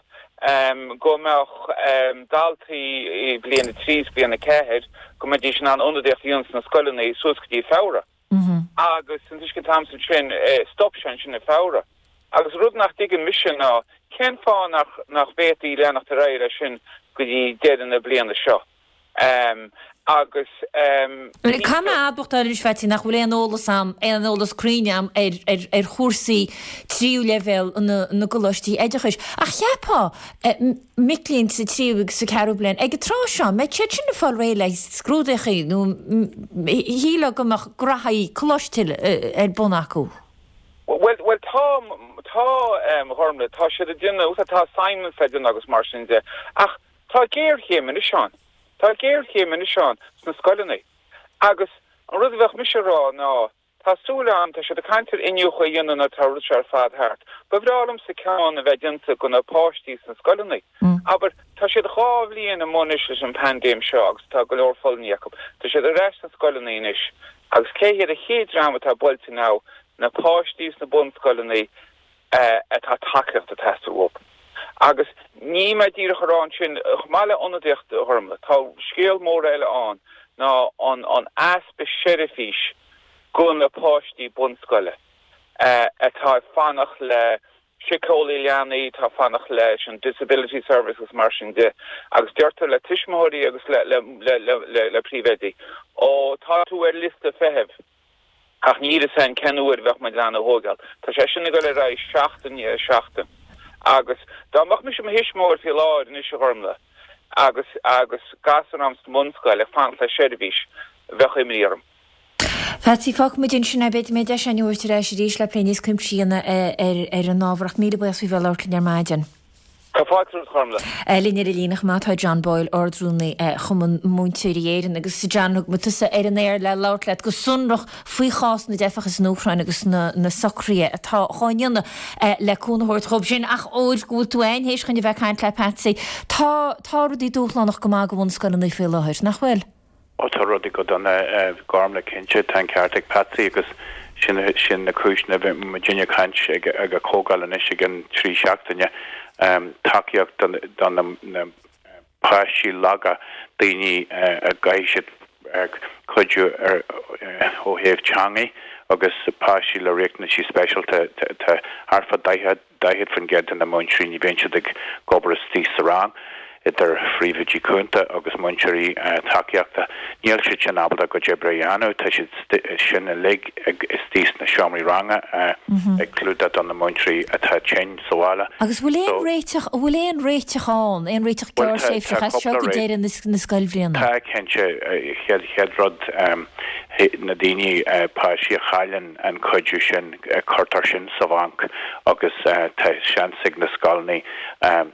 go mbeadh daltaí i bliain 3 is bliain 4, go mbeidís in ann ionadaíocht a dhéanamh sna scoileanna suas go dtí Feabhra. Agus an t-uisce an t-am sin, stop sé ansin i Feabhra. Agus rud nach dtuigeann mise ná cén fáth nach bhféadfaí leanacht ar aghaidh leis sin go dtí deireadh na bliana seo. Agus. Caithfidh mé a admháil anois, Phatsy, nach bhfuil aon eolas a'm, aon eolas cruinn a'm ar, ar, ar chúrsaí tríú leibhéal na, na gcoláistí oideachais. Ach cheapfá, mic léinn sa tríú agus sa ceathrú bliain, ag an tráth seo, mbeadh siad sin ag fáil réidh le scrúdaíochaí nó shílfeá go mbeadh graithí coláiste ar bun acu. Bhuel, bhuel, tá, tá, a Ghormlaith, tá siad ag déanamh, tá assignments le déanamh agus mar sin de, ach Tá géarchéim anois ann. Tá géarchéim anois ann sna scoileanna. Agus an rud a bheadh mise a rá ná, tá súil agam, tá siad ag caint ar iniúchadh a dhéanamh nuair atá an rud seo ar fad thart. Ba bhreá liomsa ceann a bheith déanta go na páistí sna scoileanna. Abair, tá siad dhá bhliain amuigh anois leis an bpaindéim seo agus tá go leor fulaingthe acu. Tá siad ar ais sna scoileanna anois agus cé hiad an chéad dream atá buailte ná na páistí sna bunscoileanna atá tacaíocht ag teastáil uathu. Agus níl mé díreach a rá ansin, chomh maith le ionadaíocht a Ghormlaith, tá scéal mór eile ann ná an an easpa seirbhís go na páistí bunscoile atá ag fanacht le síceolaí leanaí, atá ag fanacht leis an Disability Service agus mar sin de. Agus deirtear le tuismitheoirí agus le le le le le príomhoidí, ó tá tú ar liosta feithimh. Ach níl fhios a'inn cén uair a bheadh muid in ann a thóigeáil. Tá sé sin ag dul ar aghaidh seachtain i ndiaidh seachtain. Agus dá mbeadh mise i mo thuismitheoir faoi láthair anois a Ghormlaith agus agus gasúr a'm sa mbunscoil ag fanacht le seirbhís, bheadh imní orm. Patsy, fágfaidh muid ansin é. B'fhéidir go mbeidh deis againn a thabhairt ar ais arís le plé níos cuimsithí a dhéanamh ar an ábhar ach míle buíochas faoi bheith ag labhairt linn ar maidin. Tá fáilte romhat, a Ghormlaith. Linn ar an líne chomh maith tá John Boyle, Ard-Rúnaí Chumann Múinteoirí Éireann. Agus John, thug muid tusa ar an aer le labhairt leat go sonrach faoi chás na dteifeach as an Úcráin agus na socruithe atá á ndéanamh le cúnamh a thabhairt dhóibh sin. Ach óir go bhfuil tú ann théis chun a bheith ag caint le Patsy, tá tá rudaí dúshlánach go maith do bhunscoileanna faoi láthair, nach bhfuil? Ó tá rudaí go dona a Ghormlaith cinnte, tá an ceart ag Patsy agus sin sin na cúiseanna a bhí muidinne ag caint ag ag an chomhdháil anois i gcionn trí seachtaine. Tacaíocht do do na na páistí laga, daoine a gcaithfidh siad cuidiú ar ó thaobh teangaidh agus páistí le riachtanaisí speisialta tá thart fá 40 40% de na múinteoirí, ní bhíonn siad ag obair istigh sa rang, idir phríomhoidí cúnta agus múinteoirí tacaíochta. Níl siad sin ábalta a gcuid oibre a dhéanamh, tá siad sin uilig istigh sna seomraí ranga ag clúdach do na múinteoirí atá tinn sa bhaile. Agus bhfuil aon réiteach, an bhfuil aon réiteach ann, aon réiteach gearrthréimhseach as seo go deireadh na scoilbhliana? Tá, cinnte. Chéad rud, na daoine, páistí a chailleann an cuidiú sin, cuirtear sin sa bhanc agus tá seans ag na scoileanna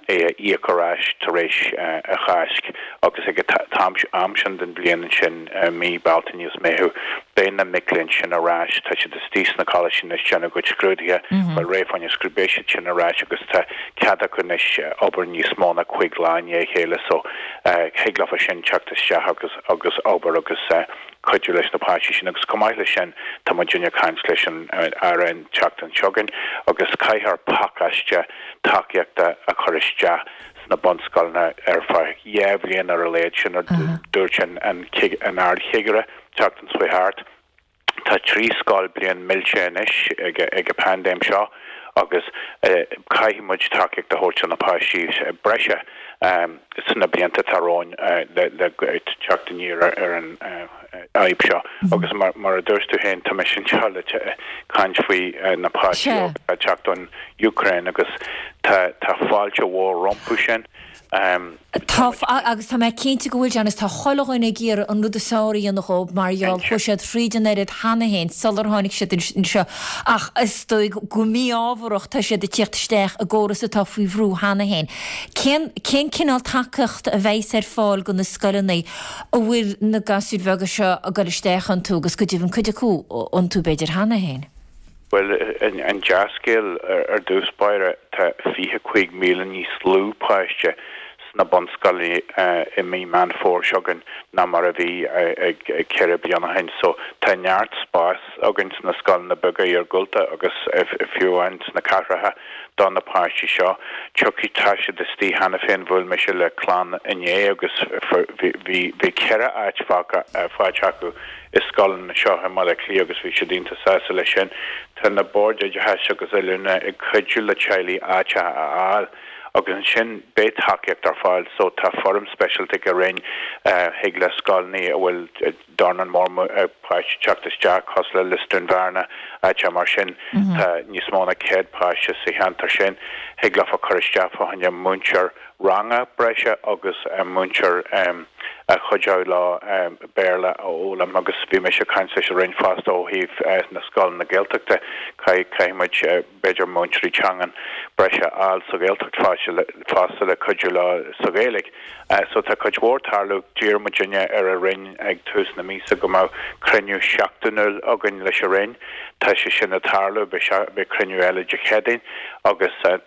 é a íoc ar ais tar éis an Cháisc agus ag an am sin den bhliain ansin, mí Bealtaine is Meitheamh, beidh na mic léinn sin ar ais, tá siad istigh sna coláistí anois ag déanamh a gcuid scrúduithe, bhuel réidh fá choinne scrúd, beidh siad sin ar ais agus tá cead acu anois obair níos mó ná cúig lá i ndiaidh a chéile so thig leofa sin teacht isteach agus agus obair agus cuidiú leis na páistí sin agus chomh maith leis sin tá muidinne ag caint leis an Aire an tseachtain seo chugainn agus caithfear pacáiste tacaíochta a chur isteach sna bunscoileanna ar feadh dhá bhliain ar a laghad, sin a dúirt an Ard-Chigire tseachtain seo thart. Tá trí scoilbhliain millte anois ag an bpaindéim seo agus caithfidh muid tacaíocht a thabhairt do na páistí breise sna blianta atá romhainn le teacht aniar ar an fhadhb seo. Agus mar a dúirt tú féin, tá mise anseo le caint faoi na páistí óga atá ag teacht ón Úcráin agus tá fáilte mhór rompu sin. Tá, agus tá mé cinnte go bhfuil, John, is tá chuile dhuine ag iarraidh an rud is fearr a dhéanamh dhóibh mar gheall, chuaigh siad thríd an oiread cheana féin sular tháinig siad anseo ach is dóigh go mí-ámharach tá siad ag tíocht isteach i gcóras atá faoi bhrú cheana féin. Cén, cén cineál tacaíochta a bheidhs ar fáil do na scoileanna a bhfuil na gasúir bheaga seo ag dul isteach iontu agus go deimhin cuid acu iontu b'fhéidir cheana féin? Bhuel, an dea-scéal ar dtús báire, tá 25,000 níos lú páiste sna bunscoileanna i mí Meán Fómhair seo chugainn ná mar a bhí ag 4 bliana ó shin. So tá neart spáis againn sna scoileanna beaga iargúlta agus fiú amháin sna cathracha do na páistí seo. Tiocfaidh, tá siad istigh cheana féin, bhuail mise le clann inné agus bhí 4 áit fágtha, faighte acu i scoileanna anseo i mBaile Átha Cliath agus bhí siad iontach sásta leis sin. Tá na Boird Oideachais agus Oiliúna ag cuidiú le teaghlaigh áiteacha a fháil agus ansin beidh tacaíocht ar fáil so tá foirm speisialta ag an Roinn thig le scoileanna a bhfuil dornán mór páistí teacht isteach cosúil le Lios Dúin Bhearna áiteacha mar sin tá níos mó ná 100 páiste sa cheantar sin thig leofa cur isteach fá choinne múinteoir ranga breise agus múinteoir a chuideodh leo Béarla a fhoghlaim agus bhí mise ag caint leis an Roinn fosta ó thaobh na scoileanna Gaeltachta, caithfidh muid b'fhéidir múinteoirí teangan breise a fháil sa Ghaeltacht fosta le cuidiú leo sa Ghaeilge. So tá cuid mhór ag tarlú. D'iarr muidinne ar an Roinn ag tús na míosa go mbeadh cruinniú seachtainiúil againn leis an Roinn. Tá sé sin ag tarlú, beidh cruinniú eile Dé Céadaoin agus tá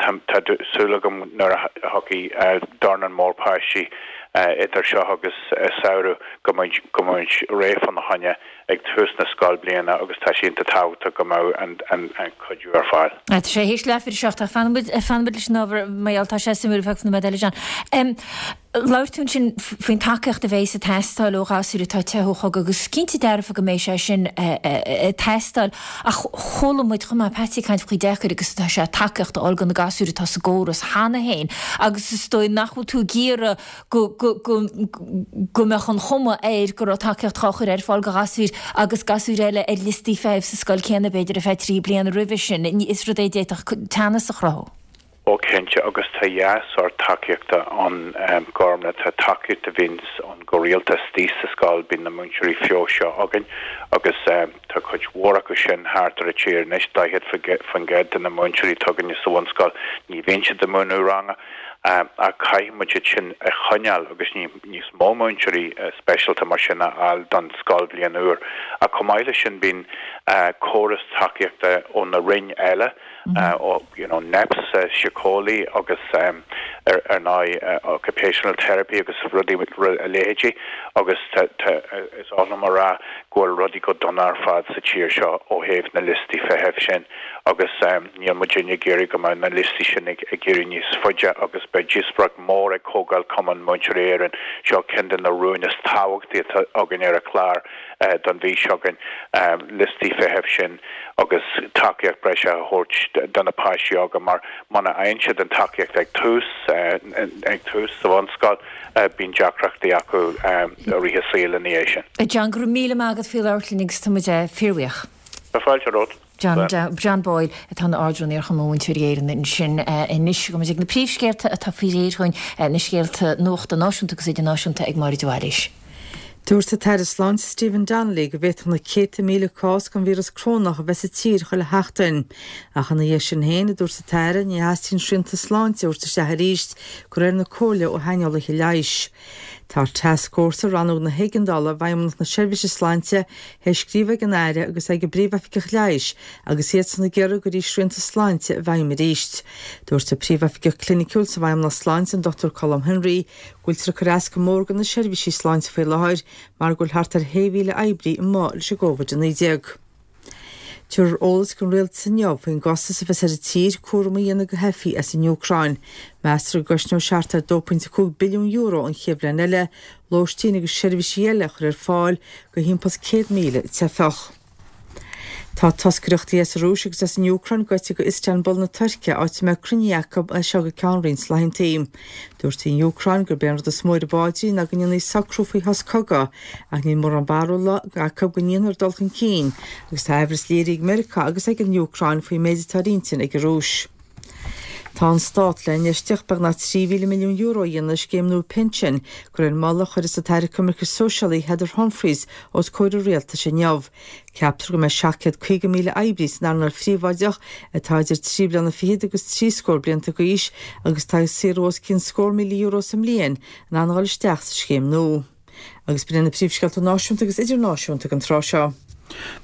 súil agam nuair a thiocfaidh dornán mór páistí idir seo agus samhradh go mbeidh muid réidh fána choinne ag tús na scoilbhliana agus tá sé iontach tábhachtach go mbeadh an cuidiú ar fáil. Tá sé théis leathuair ar a 7 ach fanfaidh muid leis an ábhar mar gheall tá sé suimiúil ar feadh nóiméad eile John. Labhair tú ansin faoin tacaíocht a bheidhs ag teastáil ó ghasúir atá ag teitheadh ó chogadh agus cinnte dearfa go mbeidh sé sin ag teastáil ach chuala muid chomh maith Patsy ag caint faoi chomh deacair agus atá sé tacaíocht a fháil do na gasúir atá sa gcóras cheana féin agus is dóigh nach bhfuil tú ag iarraidh go go go go mbeadh an chuma air go raibh tacaíocht á chur ar fáil do ghasúir agus gasúir eile ar liostaí feithimh sa scoil céanna b'fhéidir ar feadh 3 bliana roimhe sin. Is rud é a d'fhéadfadh teannas a chruthú. Ó cinnte, agus tá dhá sórt tacaíochta ann, Gormlaith. Tá tacaíocht a bhíonns ann go rialta istigh sa scoil, bíonn na múinteoirí feabhais seo againn agus tá cuid mhór acu sin thart ar an tír anois, 40% de na múinteoirí atá againne sa bhunscoil, ní bhíonn siad ag múineadh ranga ach caithfidh muid iad sin a choinneáil agus níos mó múinteoirí speisialta mar sin a fháil don scoilbhliain úr. Ach chomh maith leis sin bíonn córas tacaíochta ó na roinn eile, you know NEPS, síceolaí agus ar ndóigh occupational therapy agus rudaí a leithéidí agus tá is oth liom a rá go bhfuil rudaí go dona ar fad sa tír seo ó thaobh na liostaí feithimh sin agus níl muidinne ag iarraidh go mbeadh na liostaí sin ag éirí níos faide agus beidh díospóireacht mhór ag Comhdháil Cumann Múinteoirí Éireann, seo ceann de na rúin is tábhachtaí atá againn ar an chlár don mhí seo chugainn, liostaí feithimh sin. agus tacaíocht breise a thabhairt do na páistí óga mar muna fhaigheann siad an tacaíocht ag tús, ag tús sa bhunscoil, bíonn deacrachtaí acu i rith a saoil ina dhiaidh sin. John, go raibh míle maith agat faoi labhairt linn agus tá muid fíorbhuíoch. Tá fáilte romhat. John, John Boyle atá ina Ard-Rúnaí ar Chumann Múinteoirí Éireann ansin anois. Gabhfaidh muid ag na príomhscéalta atá faoi réir chugainn, na scéalta nuachta náisiúnta agus idirnáisiúnta ag Máire de Bhailís. Dúirt an tAire Sláinte Stephen Donnelly go bhféadfadh na céadta míle cás den víreas corónach a bheith sa tír chuile sheachtain. Ach ina dhiaidh sin féin, a dúirt an tAire, ní theastaíonn srianta sláinte a thabhairt isteach arís de réir na comhairle ó shaineolaithe leighis. Tá tascfhórsa Rannóg na hÉigeandála i bhFeidhmeannacht na Seirbhíse Sláinte théis scríobh ag an Aire agus ag an bPríomhoifigeach Leighis agus iadsan ag iarraidh go gcuirfí srianta sláinte i bhfeidhm arís. Dúirt an Príomhoifigeach Cliniciúil sa bhFeidhmeannacht Sláinte, an Dr Colm Henry, go bhfuiltear ag cur as go mór do na seirbhísí sláinte faoi láthair mar go bhfuil thart ar 6,000 oibrí amuigh leis an gCovid-19. Tabharfar eolas don rialtas inniu faoin gcostas a bheas ar an tír cúram a dhéanamh go theifigh as an Úcráin. Meastar go gcosnóidh sé thart ar €2.5 billiún an chéad bhliain eile lóistín agus seirbhísí eile a chur ar fáil do thimpeall 100,000 teifeach. Tá toscaireachtaí as an Rúis agus as an Úcráin gaibhte go Istanbul na Tuirce, áit a mbeidh cruinnithe acu as seo go ceann roinnt laethanta. Dúirt an Úcráin gurb é an rud is mó ar a bpaidrín ná go ndéanfaí socrú faoi shos cogaidh, ach níl mórán barúla acu go ndéanfar dul chun cinn, agus tá aimhreas léirithe ag Meiriceá agus ag an Úcráin faoin méid atá ar intinn ag an Rúis. Tá an Stát le infheistíocht beagnach €3,000 milliún a dhéanamh i scéim nua pinsin, de réir moladh a chuirfeas an tAire Coimirce Sóisialaí Heather Humphreys os comhair an Rialtais inniu. Ceaptar go mbeidh 750,000 oibrí san earnáil phríobháideach atá idir trí bliana fichead agus trí scór blianta d'aois agus atá ag saothrú os cionn scór €1,000 sa mbliain in ann a dhul isteach sa scéim nua. Agus b'in iad na príomhscéalta náisiúnta agus idirnáisiúnta ag an tráth seo.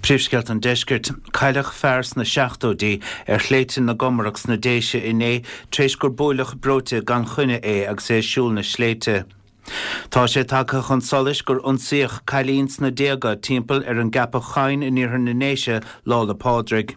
Príomhscéalta an Deiscirt, Cailleadh fear sna seachtóidí ar shléibhte na gComarach sna Déise inné tar éis gur buaileadh breoite gan choinne é agus é ag siúl na sléibhte. Tá sé tagtha chun solais gur ionsaíodh cailín sna déaga timpeall ar an gCeapach Choinn in iarthar na nDéise Lá 'le Pádraig.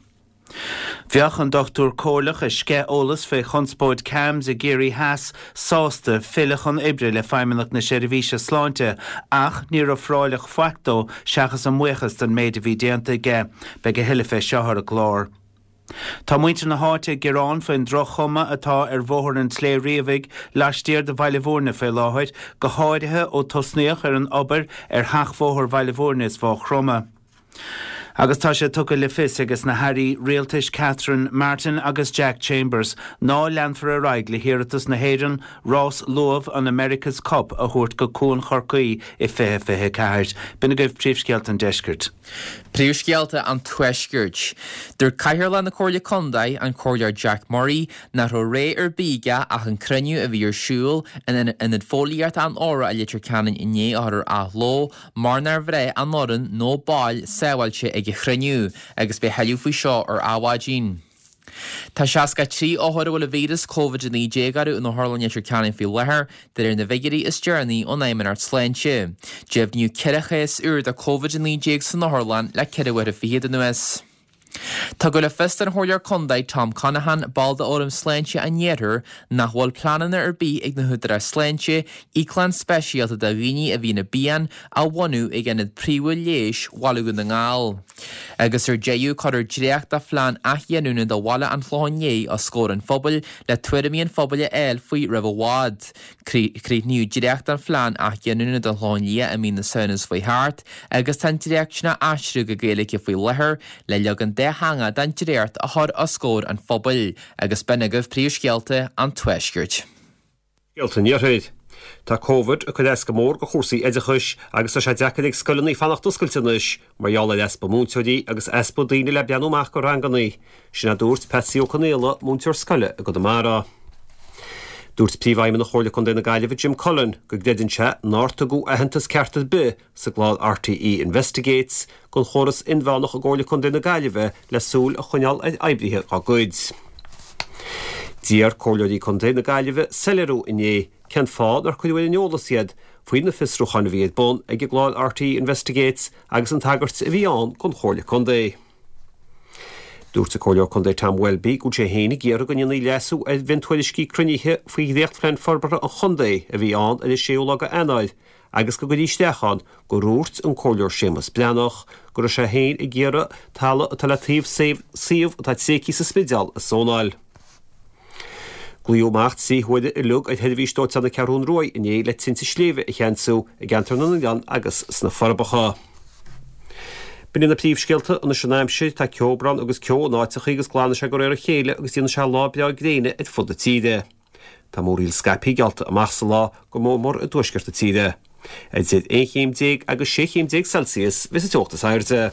Bheadh an dochtúir comhairleach a sceith eolas fé chonspóid CAMHS i gCiarraí Theas sásta filleadh chun oibre le Feidhmeannacht na Seirbhíse Sláinte ach níor ofráileadh faic dó seachas a mbuíochas don méid a bhí déanta aige. Beidh a thuilleadh fé seo ar an gclár. Tá muintir na háite ag gearán faoin droch-chuma atá ar Bhóthar an tSléibhe Riabhaigh laistiar de Bhaile Bhúirne fé láthair, go háirithe ó tosnaíodh ar an obair ar sheachbhóthar Bhaile Bhúirne is Mhaigh Chromtha. Agus tá sé tugtha le fios ages na hAirí Rialtais Catherine Martin agus Jack Chambers ná leanfar ar aghaidh le hiarratas na hÉireann rás luamh an America's Cup a thabhairt go Cuan Chorcaí i 2024. B'in agaibh príomhscéalta an deiscirt. Príomhscéalta an Tuaiscirt. Dúirt Cathaoirleach na Comhairle Contae, an Comhairleoir Jack Murray, nach raibh réidh ar bith aige ach an cruinniú a bhí ar siúl in Ionad Fóillíochta an Óra i Leitir Ceanainn inné a chur ar athló mar nár bhraith an fhoireann nó baill sábháilte ag an chruinniú agus beidh a thuilleadh faoi seo ar Adhmhaidin. Tá 63 othar a bhfuil an víreas Covid-19 orthu in Otharlann Leitir Ceanainn faoi láthair, de réir na bhfigiúirí is deireanaí ón Fheidhmeannacht Sláinte. Deimhníodh 4 chás úr de Covid-19 san otharlann le ceithre huaire fichead anuas. Tugadh le fios don Chomhairleoir Contae Tom Conaghan, ball de Fhóram Sláinte an Iarthair, nach bhfuil pleananna ar bith ag na húdaráis sláinte íoclann speisialta do dhaoine a bhíonn i bpian a bhunú ag ionad príomhúil leighis Bhaile Dhún na nGall. Agus ar deireadh, cuirfear dréacht de phlean athghiniúna do bhaile an Chlocháin Léith os comhair an phobail le tuairimí an phobail a fháil faoi roimh i bhfad. Críochnaíodh dréacht den phlean athghiniúna don Chlochán Liath i mí na Samhna seo chuaigh thart agus tá an dréacht sin á aistriú go Gaeilge faoi láthair le leagan dátheangach den dréacht a chur os comhair an phobail agus b'in agaibh príomhscéalta an Tuaiscirt. Scéalta an Iarthair. Tá Covid ag cur as go mór do chúrsaí oideachais agus tá sé deacair ag scoileanna fanacht oscailte anois mar gheall ar easpa múinteoirí agus easpa daoine le breathnú amach do ranganna. Sin a dúirt Patsy Ó Conaola, múinteoir scoile i gConamara. Dúirt Príomhfheidhmeannach Chomhairle Contae na Gaillimhe Jim Cullen go gcreideann sé nár tugadh aitheantas ceart ar bith sa gclár RTÉ Investigates don chóras inmheánach i gComhairle Contae na Gaillimhe le súil a choinneáil ar oibrithe dá gcuid. D'iarr Comhairleoirí Contae na Gaillimhe soiléiriú inné cén fáth nár cuireadh ar an eolas iad faoi na fiosrúcháin a bhí ar bun ag an gclár RTÉ Investigates agus an tagairt a bhí ann don Chomhairle Contae. Dúirt an Comhairleoir Contae Tom Welby go bhfuil sé féin ag iarraidh go ndéanfaí leasú ar mhiontuairiscí cruinnithe faoi dhréachtphlean forbartha an chontae a bhí ann ar an séú lá de Eanáir agus go gcuirfí isteach ann gur dhúirt an Comhairleoir Séamus Breathnach go raibh sé féin ag iarraidh talamh atá le taobh suíomh atá tréigthe sa Spidéal a zónáil. Glaodh amach 3 huaire uilig ar sheirbhís dóiteáin na Ceathrún Ruaidh inné le tinte sléibhe a cheansú i gCeantar na nOileán agus sna Forbacha. B'in iad na príomhscéalta anois an aimsir, tá ceobhrán agus ceo in áiteachaí agus glanfaidh sé de réir a chéile agus déanfaidh sé lá breá gréine ar fud na tíre. Tá múraíl scaipthe geallta amach sa lá, go mór mór i dtuaisceart na tíre. Idir 11 chéim agus 16 chéim Celsius a bheas an teocht is airde.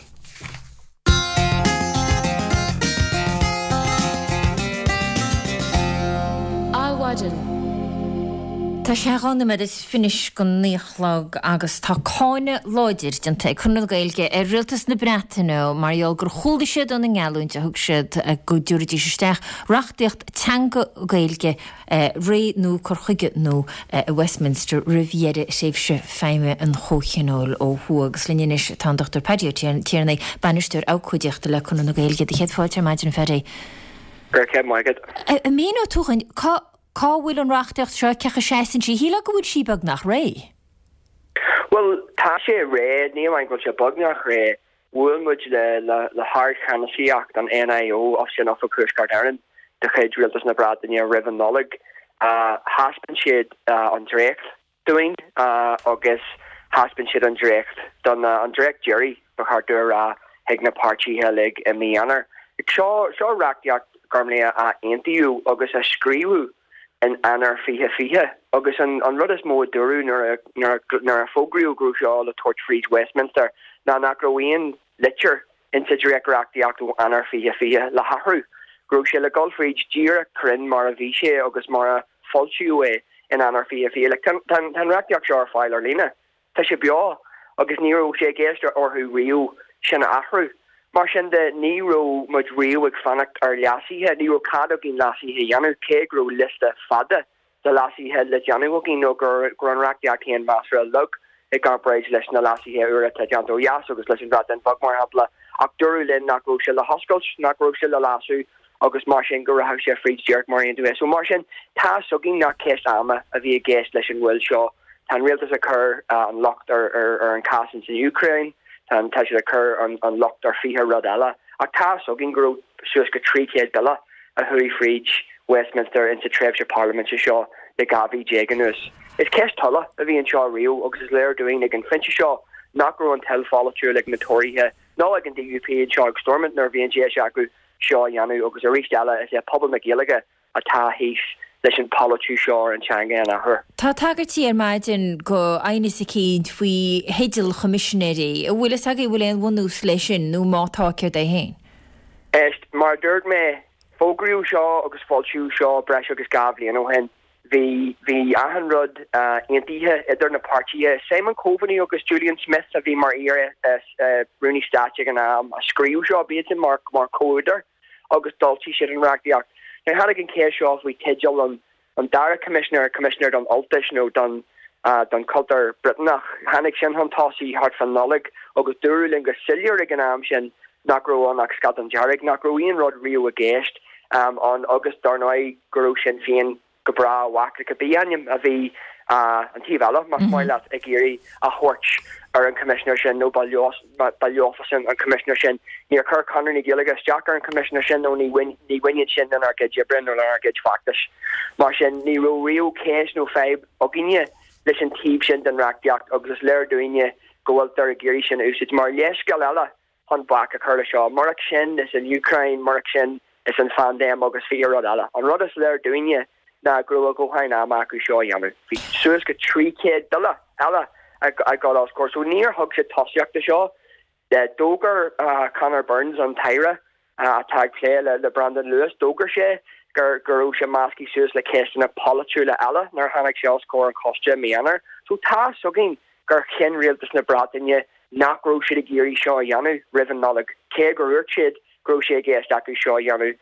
Adhmhaidin. Tá sé 12 nóiméad anois go 9 a chlog agus tá cáineadh láidir déanta ag Conradh na Gaeilge ar Rialtas na Breataine mar gheall gur chúlaigh siad óna ngeallúint a thug siad go dtabharfaidís isteach reachtaíocht teanga Gaeilge réidh nó cur chuige nua i Westminster roimh dheireadh thréimhse feidhme an Chomhthionóil ó thuaidh. Agus linn anois tá an Dr Paddy Ó Tiarnaigh, Bainisteoir Abhcóideachta le Conradh na Gaeilge. Do chéad fáilte ar maidin, a Phaddy. Go raibh maith agat. An míneoidh tú dhúinn cá cá bhfuil an reachtaíocht seo, cén chaoi a seasann sí? Shílfeá go bhfuil sí beagnach réidh. Bhuel, tá sé réidh, ní amháin go bhfuil sé beagnach réidh, Bhuail muid le hardcheannasaíocht an NIO, sin Oifig Thuaisceart Éireann de chuid Rialtas na Breataine roimh an Nollaig. Thaispeáin siad an dréacht dúinn agus thaispeáin siad an dréacht don, an dréacht deiridh ba cheart domh a rá, chuig na páirtithe uilig i mí Eanáir. Seo, seo reachtaíocht. Gormlaith, a aontaíodh agus a scríobhadh in Eanáir 2020 agus an rud is mó a dúradh nuair a fógraíodh go raibh seo le tabhairt fríd Westminster ná nach raibh aon litir insa dréacht-reachtaíocht ó Eanáir 2020 le hathrú, go raibh sé le dul fríd díreach cruinn mar a bhí sé agus mar a foilsíodh é in Eanáir 2020. Like, tá an reachtaíocht seo ar fáil ar líne. Tá sé beo agus ní raibh sé i gceist orthu riamh sin a athrú. Mar sin de, ní raibh muid riamh ag fanacht ar leasuithe, ní raibh cead againn leasuithe a dhéanamh, cé go raibh liosta fada de leasuithe le déanamh againn nó go raibh an reachtaíocht féin measartha lag i gcomparáid leis na leasuithe úra atá déanta ó dheas agus leis an Bhreatain Bheag, mar shampla. Ach dúradh linn nach raibh sé le hoscailt, nach raibh sé le leasú agus mar sin go rachadh sé fríd díreach mar a aontaíodh é. So mar sin, tá 'fhios againn nach ceist ama a bhí i gceist leis an mhoill seo. Tá an rialtas ag cur an locht ar an cás ins an Úcráin, tá tá siad ag cur an locht ar 20 rud eile, ach tá 'fhios againn go raibh suas go 300 bille a chuaigh fríd Westminster insa tréimhse parlaiminte seo le 12 mhí anuas. Is ceist tola a bhí anseo riamh agus is léir dúinn ag an phointe seo nach raibh an toil pholaitiúil ag na Tóraithe ná ag an DUP anseo ag Stormont nuair a bhí an deis acu seo a dhéanamh agus arís eile is é pobal na Gaeilge atá thíos leis an pholaitiú seo ar an teanga an athuair. Tá tagairtí ar maidin go aighneas eicínt faoi theideal choimisinéirí. An bhfuil fhios agaibh an bhfuil aon bhunús leis sin nó má tá céard é féin? Éist, mar a dúirt mé, fógraíodh seo agus foilsíodh seo breis agus 2 bhliain ó shin. Bhí, bhí achan rud aontaithe idir na páirtithe. Simon Coveney agus Julian Smith a bhí mar iar-Rúnaí Stáit ag an am a scríobh seo, b'iadsan mar, mar chomhúdair agus d'fhoilsigh siad an reachtaíocht. Now tháinig an cheist seo faoi teideal an, an dara coimisinéir, coimisinéir don Ultais nó don, don chultúr Briotanach. Tháinig sin chun tosaigh thart fán Nollaig agus dúradh linn go soiléir ag an am sin nach raibh ann ach scadán dearg, nach raibh aon rud riamh i gceist ann agus dar ndóigh go raibh Sinn Féin go breá i bhfách le cibé ainm a bhí an taobh eile, más maith leat, ag iarraidh a thabhairt ar an choimisinéir sin nó ba leofasan an coimisinéir sin. Níor chuir Conradh na Gaeilge isteach ar an choimisinéir sin nó ní bhaineann sin lenár gcuid oibre nó lenár gcuid feachtais. Mar sin, ní raibh riamh ceist nó fadhb againne leis an taobh sin den reachtaíocht agus is léir dúinne go bhfuiltear ag iarraidh sin a úsáid mar leithscéal eile chun bac a chur le seo. Murach sin is an Úcráin, murach sin is an phaindéim agus 20 rud eile. An rud is léir dúinne ná go raibh a dhóthain ama acu seo a dhéanamh. Bhí suas go 300 bille eile ag dul os comhair so níor thug siad tosaíocht do seo. D'fhógair Conor Burns, an tAire atá ag plé le Brandon Lewis, d'fhógair sé go raibh sé measctha suas le ceisteanna polaitiúla eile nuair a tháinig sé os comhair an choiste i mí Eanáir. So tá 'fhios againn gur chinn rialtas na Breataine nach raibh siad ag iarraidh seo a dhéanamh roimh an Nollaig, cé gur dhúirt siad go raibh sé i gceist acu seo a dhéanamh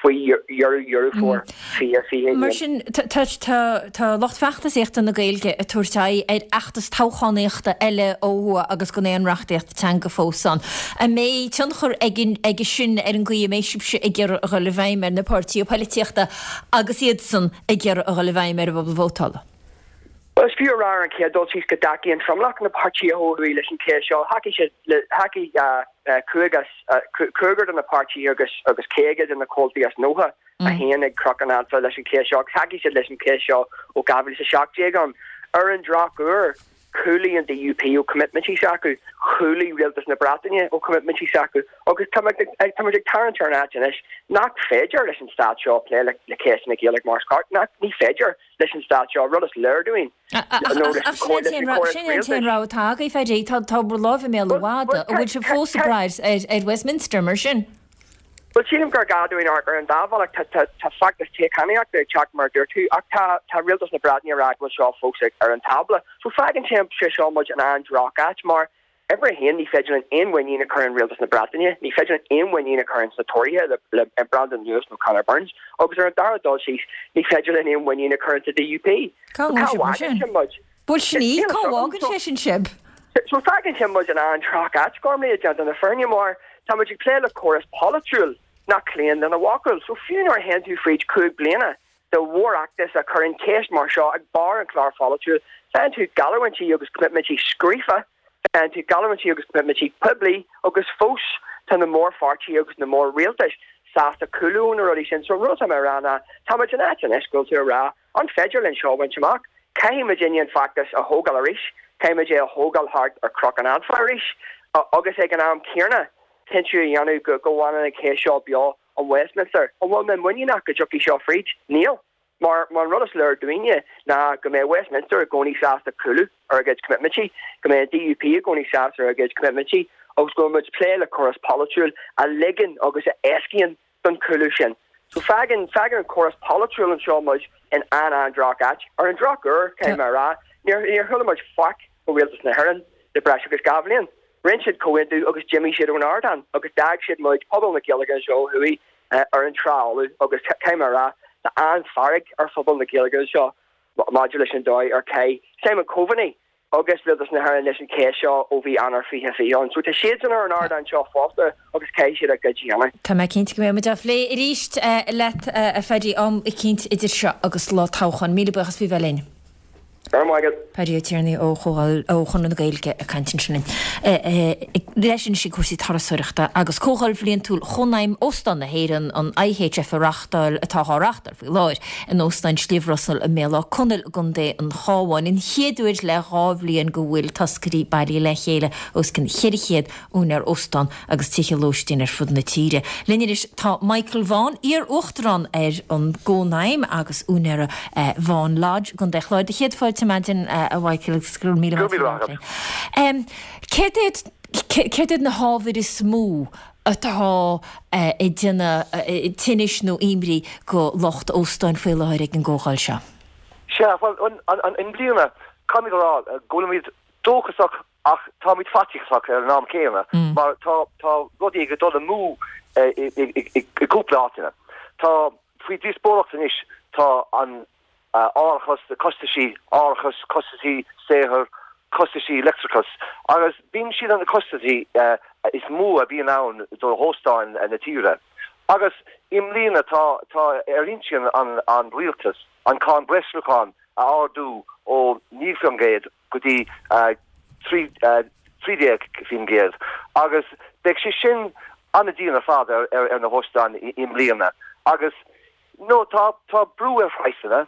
faoi dheireadh Dheireadh Fómhair 2021. Mar sin, tá lucht feachtasaíochta na Gaeilge ag tabhairt aghaidh ar fheachtas toghchánaíochta eile ó thuaidh agus gan aon reachtaíocht teanga fós ann. An mbeidh tionchar aige sin ar an gcaoi a mbeidh sibhse ag iarraidh a dhul i bhfeidhm ar na páirtithe poilitíochta agus iadsan ag iarraidh a dhul i bhfeidhm ar an bpobal vótála? Bhuel, is fiú a rá ar an chéad dul síos go dtacaíonn tromlach na bpáirtithe ó thuaidh leis an cheist seo. Thacaigh siad le, thacaigh cúigear de na páirtithe agus agus 50 de na comhaltaí as 91 ag Cnoc an Anfa leis an cheist seo agus thacaigh siad leis an cheist seo ó 2017 ann. Ar an drochuair, chúlaigh an DUP ó coimitmintí s'acu, chúlaigh rialtas na Breataine ó choimitmintí s'acu agus tá muid ag tarraingt ar an áit anois nach féidir leis an stát seo plé le ceist na Gaeilge mar is ceart, nach, ní féidir. leis an stát seo, rud is léir dúinn, nó leis an chóras Ach sin é an t-aon rogha atá agaibh, Phaddy. Tá bhur láimh i mbéal an mhada. An bhfuil sibh fós ag brath ar Westminster, mar sin? Bhuel, sílim gur gá dúinn amharc ar an dá bhealach. Tá feachtas toghchánaíochta ag teacht, mar a dúirt tú, ach tá rialtas na Breataine ag rá go bhfuil seo fós ar an tábla. So fágann sé seo muid in an-droch-áit, mar Uimhir a haon, ní féidir linn aon mhuinín a chur in rialtas na Breataine, ní féidir linn aon mhuinín a chur ins na Tóraithe le Brandon Lewis nó Conor Burns, agus ar an dara dul síos, ní féidir linn aon mhuinín a chur in sa DUP. Cá bhfágann sin muid? Bhuel, sin í, cá bhfágann sé sin sibh? So fágann sin muid in an-droch-áit, Gormlaith, déanta na fírinne, mar tá muid ag plé le córas polaitiúil nach cloíonn lena bhfocal. So fiú nuair a théann tú fríd 5 bliana de mhórfheachtas a chuireann ceist mar seo ag barr an chláir pholaitiúil, faigheann tú geallúintí agus coimitmintí scríofa, faigheann tú geallúintí agus coimitmintí poiblí agus fós tá na mórpháirtithe agus na mór-rialtais sásta cúlú ó na rudaí sin. So an rud atá mé a rá ná tá muid in áit anois go bhfuil tú a rá an féidir linn seo a bhaint amach? Caithfidh muidinne an feachtas a thógáil arís, caithfidh muid é a thógáil thart ar Chnoc an Anfa arís agus ag an am céanna cinntiú a dhéanamh go bhfanann an cheist seo beo. In Westminster. An bhfuil mé muiníneach go dtiocfaidh seo fríd? Níl. Mar an rud is léir dúinne ná go mbeidh Westminster i gcónaí sásta cúlú ar a gcuid coimitmintí, go mbeidh an DUP i gcónaí sásta ar a gcuid coimitmintí agus go bhfuil muid ag plé le córas polaitiúil a ligeann agus a éascaíonn don chúlú sin. So fágann, fágann an córas polaitiúil anseo muid in an-an-droch áit. Ar an drochuair, caithfidh mé a rá, níor, níor chuala muid faic ó Rialtas na hÉireann le breis agus 2 bhliain. Rinne siad comhaontú agus d'imigh siad ón ardán agus d'fhág siad muid, pobal na Gaeilge anseo ó thuaidh, ar an trá fholamh agus caithfidh mé a rá, tá an-fhearg ar phobal na Gaeilge anseo maidir leis an dóigh ar chaith Simon Coveney agus Rialtas na hÉireann leis an cheist seo ó bhí Eanáir 2020 ann. So tá siadsan ar an ardán seo fosta agus caithfidh siad a gcuid a dhéanamh. Tá mé cinnte go mbeidh muid á phlé arís leat, a Phaddy, am eicínt idir seo agus lá toghcháin. Míle buíochas faoi bheith linn. Go raibh maith agat. Paddy Ó Tiarnaigh ó Chomhdháil ó Chonradh na Gaeilge ag caint ansin linn. Leis anois ag cúrsaí turasóireachta agus Comhdháil Bhliantúil Chónaidhm Óstán na hÉireann, an IHF a reáchtáil, atá á reáchtáil faoi láthair in Óstán Shliabh Rosal i mBéal Átha Conaill i gContae an Chabháin. An chéad uair le 2 bhliain go bhfuil toscairí bailithe le chéile os cionn 400 úinéir óstán agus tithe lóistín ar fud na tíre. Linn anois tá Michael Vaughan, iar-uachtarán ar an gCónaidhm agus úinéara Vaughan Lodge i gContae Chláir. Do chéad fáilte ar maidin, a Mhichael, agus go raibh míle maith agat. Céard iad, céard iad na hábhair is mó atá ag déanamh tinnis nó imní go lucht óstáin faoi láthair ag an gcomhdháil seo? Sea, bhuel, i mbliana, caithfimid a rá go bhfuilimid dóchasach Ach táimid faitíosach ar an am céanna mar tá tá rudaí ag dul amú i gcúpla áiteanna. Tá faoi díospóireacht anois tá an árachas, na costaisí árachais, costaisí saothair, costaisí leictreachais agus bíonn siad na costaisí is mó a bhíonn ann do hóstáin na tíre. Agus i mbliana tá tá ar intinn an an rialtas an cáin breisluacháin a ardú ó 9% go dtí 13% agus beidh sé sin an-dian ar fad ar na hóstáin i mbliana agus nó tá tá brú ar phraghsanna,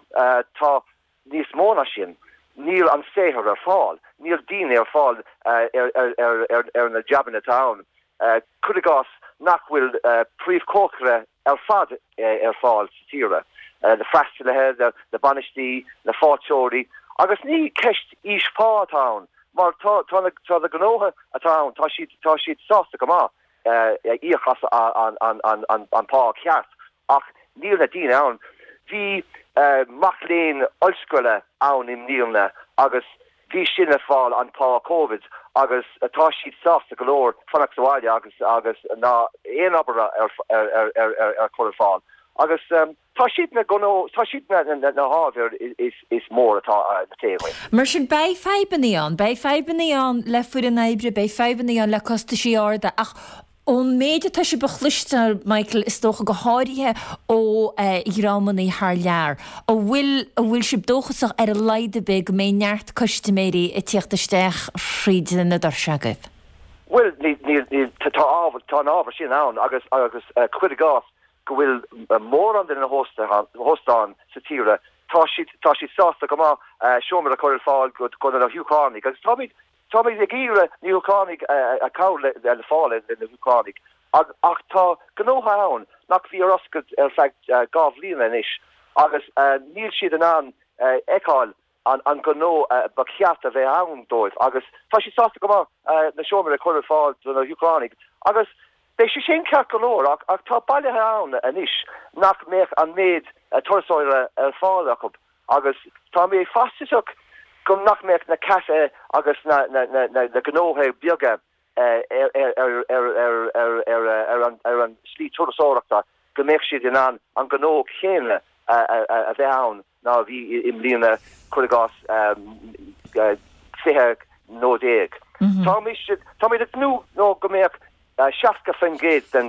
tá níos mó ná sin, níl an saothar ar fáil, níl daoine ar fáil ar na jabanna atá ann. Cuir i gcás nach bhfuil príomhchócaire ar fad ar fáil sa tíre, na freastalaithe, na bainistí, na fáilteoirí agus ní ceist aois phá atá ann mar tá tá na tá na gnótha atá ann tá siad tá siad sásta go maith íoc as an an an an an pá ceart ach níl na daoine ann. Bhí mac léinn ollscoile ann i mbliana agus bhí sin ag fáil an pá Covid agus tá siad sásta go leor fanacht sa bhaile agus agus ná aon obair ar ar ar ar chur ar fáil agus tá siad na gnó tá siad na na na hábhair is is mór atá le plé againn. Mar sin beidh fadhbanna ann, beidh fadhbanna ann le foireann oibre, beidh fadhbanna ann le costaisí arda ach Ón méid atá sibh a chloisteáil, Michael, is dócha, go háirithe ó dhreamanna thar lear, an bhfuil, an bhfuil sibh dóchasach ar a laghad ar bith go mbeidh neart custaiméirí ag tíocht isteach thríd na doirse agaibh? Bhuel, níl, níl, níl, tá ábhar, tá an ábhar sin ann agus, agus cuir i gcás go bhfuil mórán de na hóstáin sa tíre, tá siad, tá siad sásta go maith seomra a chur ar fáil go, do na hÚcránaigh agus táimid, Táimid ag iarraidh na hÚcránaigh a cabhair le fáil le na hÚcránaigh ach tá gnótha ann nach bhí ar oscailt ar feadh 2 bhliana anois agus níl siad in ann fheiceáil an gnó ba cheart a bheith ann dóibh agus tá siad sásta go maith na seomraí a chur ar fáil do na hÚcránaigh agus beidh sé sin ceart go leor ach tá bailithe ann anois nach mbeadh an méid turasóirí ar fáil acu Agus tá mé faitíosach go nach mbeadh na caife agus na gnóthaí beaga ar an slí turasóireachta, go mbeadh siad in ann an gnó céanna a bheith ann ná a bhí i mbliana, cuir i gcás, 20 nó. Táimid ag tnúth nó go mbeadh 60% den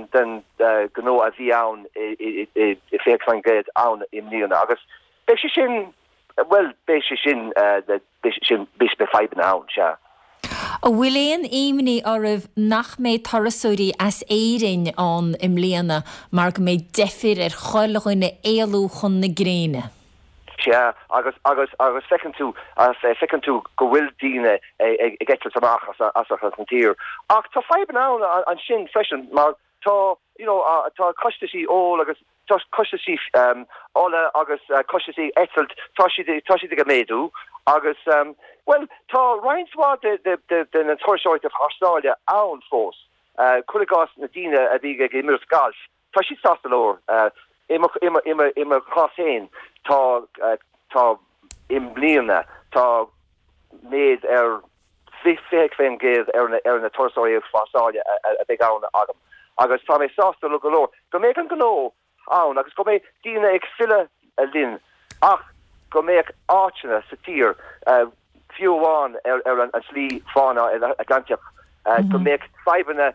ghnó a bhí ann i 20% ann i mbliana agus beidh sé sin, bhuel, beidh sé sin, beidh sin, beidh fadhbanna ann, sea. An bhfuil aon imní oraibh nach mbeidh turasóirí as Éirinn ann i mbliana mar go mbeidh deifir ar chuile dhuine éalú chun na gréine? Sea, agus, agus, agus feiceann tú, feiceann tú go bhfuil daoine ag eitilt amach as, as an tír. Ach tá fadhbanna ann ansin freisin mar tá. you know, tá costaisí óil agus tá costaisí ola agus costaisí eitilt, tá siad, tá siad ag méadú agus, bhuel, tá roinnt mhaith de, de, de na turasóirí thar sáile ann fós. Cuir i gcás na daoine a bhí ag imirt gailf, tá siad sásta go leor. I mo, i mo, i mo, i mo chás féin, tá, tá, i mbliana, tá méid ar 20% ar na turasóirí thar sáile a bheidh ann agam agus tá mé sásta go leor go mbeidh an gnó ann agus go mbeidh daoine ag filleadh linn ach go mbeadh áiteanna sa tír, fiú amháin ar an tSlí Fána Atlantach, go mbeadh fadhbanna,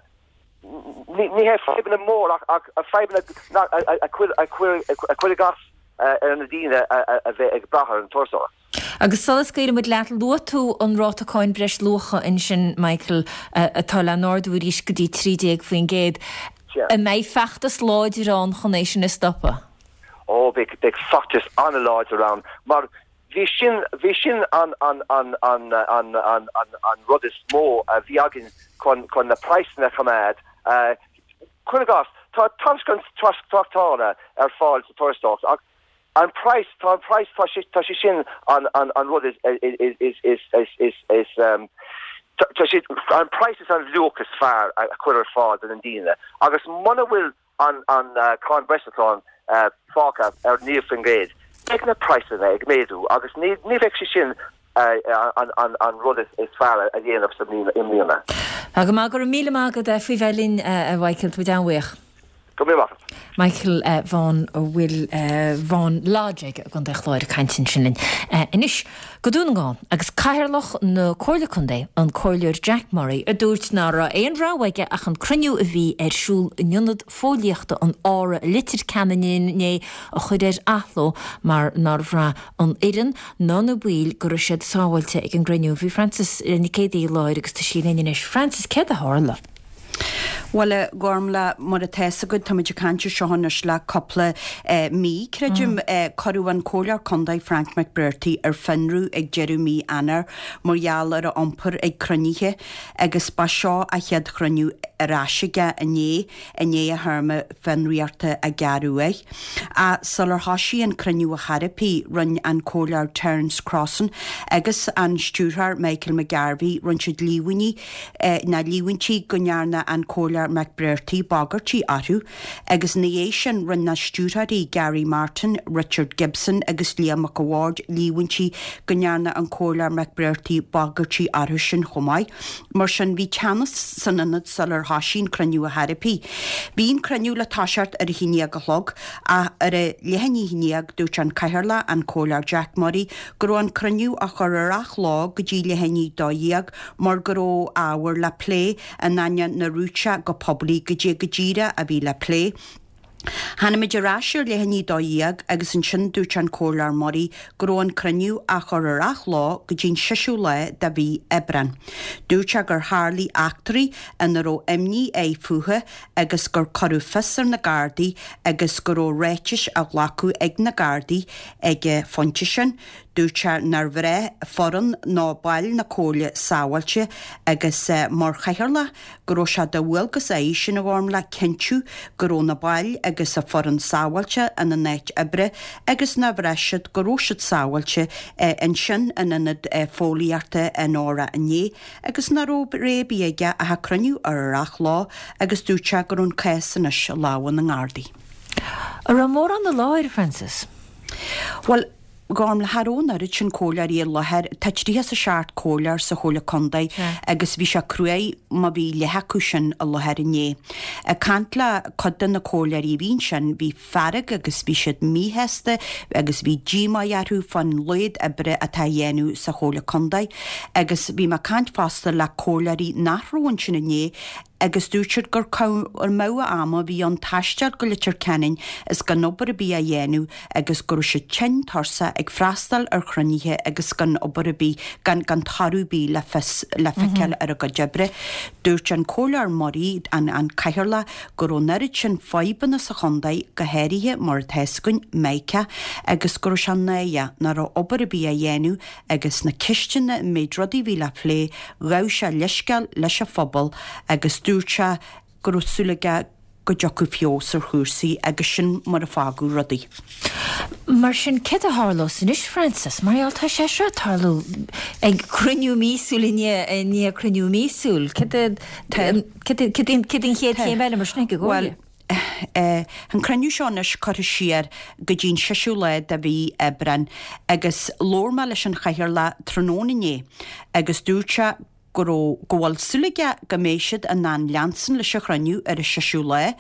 ní hé fadhbanna mór ach fadhbanna a chuirfeadh as ar na daoine a bheith ag brath ar an turasóireacht. Agus sula scaoilfidh muid leat, luaigh tú an ráta cáin breis luacha ansin, Michael, atá le n-ardú arís go dtí 13%. An mbeidh feachtas láidir ann chun é sin a stopadh? Ó, beidh, beidh feachtas an-láidir ann, mar bhí sin, bhí sin an, an, an, an, an, an, an, an rud is mó a bhí againn chun, chun na praghsanna a choimeád. Cuir i gcás, tá tairiscint tráchtála ar fáil sa turasóireacht ach An praghas, tá an praghas, tá sé, tá sé sin an, an, an rud is, is, is, is, is, is, is, tá sé, an praghas is an luach is fearr a chur ar fáil do na daoine agus muna bhfuil an, an cáin bhreisluacháin fágtha ar 9%, beidh na praghsanna ag méadú agus ní, ní bheidh sé sin an, an, an rud is, is fearr a dhéanamh sa mbliana, i mbliana. Tá go maith, go raibh míle maith agat faoi bheith linn a Mhichael, tá muid an-bhuíoch. Go raibh maith agat. Michael Vaughan a bhfuil Vaughan Lodge aige i gContae an Chláir ag caint ansin linn. Anois go Dún na nGall agus Cathaoirleach na Comhairle Contae, an Comhairleoir Jack Murray, a dúirt ná raibh aon rogha aige ach an cruinniú a bhí ar siúl in Ionad Fóillíochta an Aura i Leitir Ceanainn inné a chur ar athló mar nár bhraith an fhoireann ná na baill go raibh siad sábháilte ag an gcruinniú. Bhí Frances Nic Géadaigh i láthair agus tá sí linn anois. Frances, céard a tharla? Bhuel, a Ghormfhlaith, mar atá fhios agat, táimid ag caint ar seo anois le cúpla mí, creidim. Cuireadh an Comhairleoir Contae Frank McBrearty ar fionraí ag deireadh mí Eanáir mar gheall ar a iompar ag cruinnithe agus ba seo a chéad chruinniú ar ais aige inné, i ndiaidh a théarma fionraíochta a gearradh air. Ach sular thoisigh an cruinniú ar chor ar bith, rinne an Comhairleoir Terence Crossan agus an Stiúrthóir Michael McGarvey, rinne siad líomhaintí ná líomhaintí go ndearna an Comhairleoir McBrearty bagairtí orthu agus ina dhiaidh sin rinne na stiúrthóirí Gary Martin, Richard Gibson agus Liam Mac a' Bhaird líomhaintí go ndearna an Comhairleoir McBrearty bagairtí orthu sin chomh maith. Mar sin bhí teannas san ionad sular thoisigh an cruinniú ar chor ar bith. Bhí an cruinniú le toiseacht ar a haon dhéag a chlog ach ar a leath i ndiaidh a haon dhéag dúirt an Cathaoirleach, an Comhairleoir Jack Murray, go raibh an cruinniú á chur ar athló go dtí leath i ndiaidh a 12 mar go raibh ábhar le plé in ainneoin nár dhúirt sé go poiblí goidé go díreach a bhí le plé. Tháinig muid ar ais ar leath i ndiaidh 12 agus ansin dúirt an Comhairleoir Murray go raibh an cruinniú á chur ar athló go dtí an seisiú lá de mhí Aibreán. Dúirt sé gur tharlaigh eachtraí ina raibh imní air fúthu agus gur cuireadh fios ar na Gardaí agus go raibh ráitis á ghlacadh ag na Gardaí ag an phointe sin. Dúirt sé nár bhraith foireann ná baill na Comhairle sábháilte agus mar chathaoirleach go raibh sé de dhualgas air sin a Ghormfhlaith cinntiú go raibh na baill agus a foireann sábháilte ina n-áit oibre agus nár bhraith siad go raibh siad sábháilte ansin in ionad fóillíochta an Aura inné agus nach raibh rogha ar bith aige ach an cruinniú a chur ar athló agus dúirt sé go raibh an cás anois i lámha na nGardaí. An raibh mórán i láthair, Frances? Bhuel, Gormfhlaith, cha raibh an oiread sin comhairleoirí i láthair. Tá 37 comhairleoir sa Chomhairle Contae agus bhí sé cruaidh má bhí leath acu sin i láthair inné. Ag caint le cuid de na comhairleoirí a bhí ansin, bhí fearg agus bhí siad míshásta agus bhí díomá orthu fán laghad oibre atá á dhéanamh sa Chomhairle Contae. Agus bhí mé ag caint fosta le comhairleoirí nach raibh ansin inné agus dúirt siad gur cur amú ama a bhí ann taisteal go Leitir Ceanainn is gan obair ar bith á dhéanamh agus go raibh siad tinn tuirseach ag freastal ar chruinnithe agus gan obair ar bith, gan gan toradh ar bith le fios, le feiceáil ar a gcuid oibre. Dúirt an Comhairleoir Murray, an an Cathaoirleach, go raibh an oiread sin fadhbanna sa chontae, go háirithe, mar atá fhios againn, Micah, agus go raibh sé náireach nach raibh obair ar bith á dhéanamh agus na ceisteanna, an méid rudaí a bhí le plé, ghabh sé leithscéal leis an phobal agus dúirt sé go raibh súil aige go. go dtiocfadh feabhas ar chúrsaí agus sin mar a fágadh rudaí. Mar sin, céard a tharlós anois, Frances? Mar gheall, tá sé seo ag tarlú ag cruinniú míosúil i ndiaidh cruinniú míosúil. Céard an chéad chéim eile mar sin ag an gComhairle? Bhuel, an cruinniú seo anois curtha siar go dtí an seisiú lá de mhí Aibreáin agus labhair mé leis an Chathaoirleach tráthnóna inné agus dúirt sé go raibh, go bhfuil súil aige go mbeidh siad in ann leanstan leis an chruinniú ar an seisiú lá.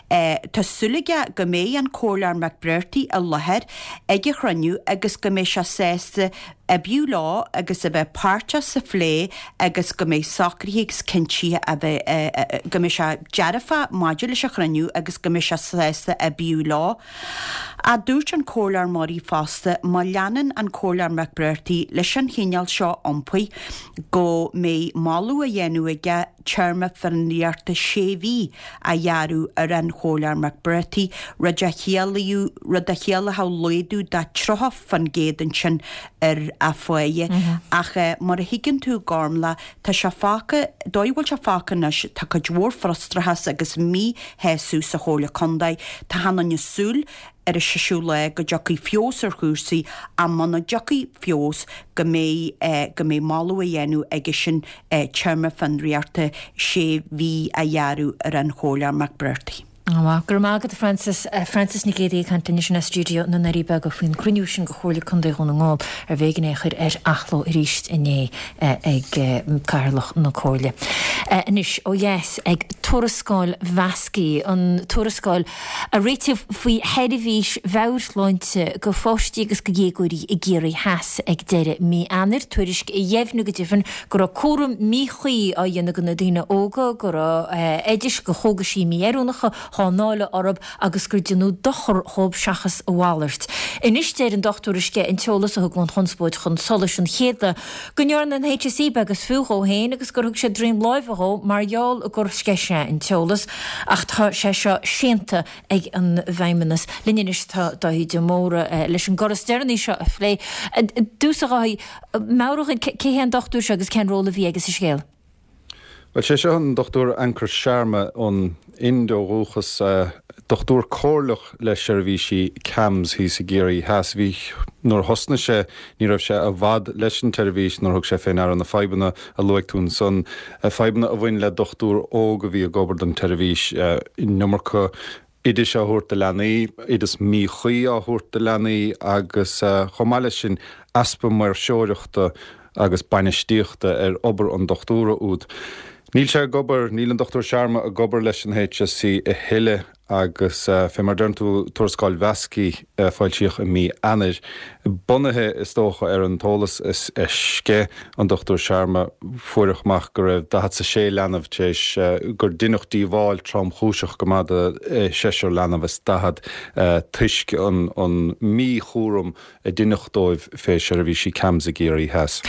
Tá súil aige go mbeidh an Comhairleoir McBrearty i láthair ag an chruinniú agus go mbeidh sé sásta oibriú leo agus a bheith páirteach sa phlé agus go mbeidh socruithe agus cinntithe a bheith, go mbeidh sé dearfach maidir leis an chruinniú agus go mbeidh sé sásta oibriú leo. Ach dúirt an Comhairleoir Murray fosta má leanann an Comhairleoir McBrearty leis an chineál seo iompair go mbeidh moladh á dhéanamh aige téarma fionraíochta sé mhí a ghearradh ar an Chomhairleoir McBrearty, rud a chiallódh rud a chiallódh laghdú de 30% ansin ar a pháighe. Ach mar a thuigeann tú, Gormlaith, tá sé fágtha, dóigh a bhfuil sé fágtha anois, tá cuid mhór frustrachas agus míshásamh sa Chomhairle Contae. Tá achan duine ag súil ar an seisiú lá go dtiocfaidh feabhas ar chúrsaí ach muna dtiocfaidh feabhas go mbeidh go mbeidh moladh á dhéanamh aige sin téarma fionraíochta sé mhí a ghearradh ar an Chomhairleoir McBrearty. Go raibh maith agat a Frances. Frances Nic Géadaigh ag caint linn ansin as stiúideo na nDoirí Beaga faoin gcruinniú sin de Chomhairle Contae Dhún na nGall arbh éigean é a chur ar athló arís inné ag Cathaoirleach na Comhairle. Anois ó dheas ag tuarascáil Mhaskey, an tuarascáil a réitíodh faoi sheirbhís mheabhairshláinte do pháistí agus do dhéagóirí i gCiarraí Theas ag deireadh mí Eanáir, tuairisc a dheimhnigh go deimhin go raibh cúram míchuí á dhéanamh de na daoine óga, go raibh oidis do chógaisí mí-oiriúnacha dhá ndáileadh orthu agus gur deineadh dochar dhóibh seachas a mhalairt. Anois deir an dochtúir a sceith an t-eolas a thug an chonspóid chun solais an chéad lá go ndearna an HSE beag is fiú dhó féin agus gur thug siad droim láimhe dhó mar gheall gur sceith sé an t-eolas ach tá sé seo séanta ag an bhFeidhmeannas. Linn anois tá Dáithí de Mórdha leis an gcor is deireanaí seo a phlé. I dtús a Dháithí, meabhraigh dhúinn cé hé an dochtúir seo agus cén ról a bhí aige sa scéal? Bhuel, sé seo an Dr Ankur Sharma ón Ind ó dhúchas, dochtúir comhairleach le seirbhísí CAMHS thíos i gCiarraí Theas. Bhí, nuair a thosnaigh sé, ní raibh sé i bhfad leis an tseirbhís nuair a thug sé fé ndeara na fadhbanna a luaigh tú ansan, fadhbanna a bhain le dochtúir óg a bhí ag obair don tseirbhís, an iomarca oidis á thabhairt do leanaí, oideas míchuí á thabhairt do leanaí agus chomh maith leis sin easpa maoirseoireachta agus bainistíochta ar obair an dochtúra úd. Níl sé ag obair, níl an Dr Sharma ag obair leis an HSE a thuilleadh agus fé mar a deireann tú, tuarascáil Mhaskey a foilsíodh i mí Eanáir, bunaithe is dócha ar an t-eolas a sceith an Dr Sharma, fuaireadh amach go raibh 46 leanbh tar éis gur deineadh díobháil tromchúiseach go maith do sheisear leanbh is 40 toisc an mí-chúram a deineadh dóibh fé sheirbhísí CAMHS i gCiarraí Theas.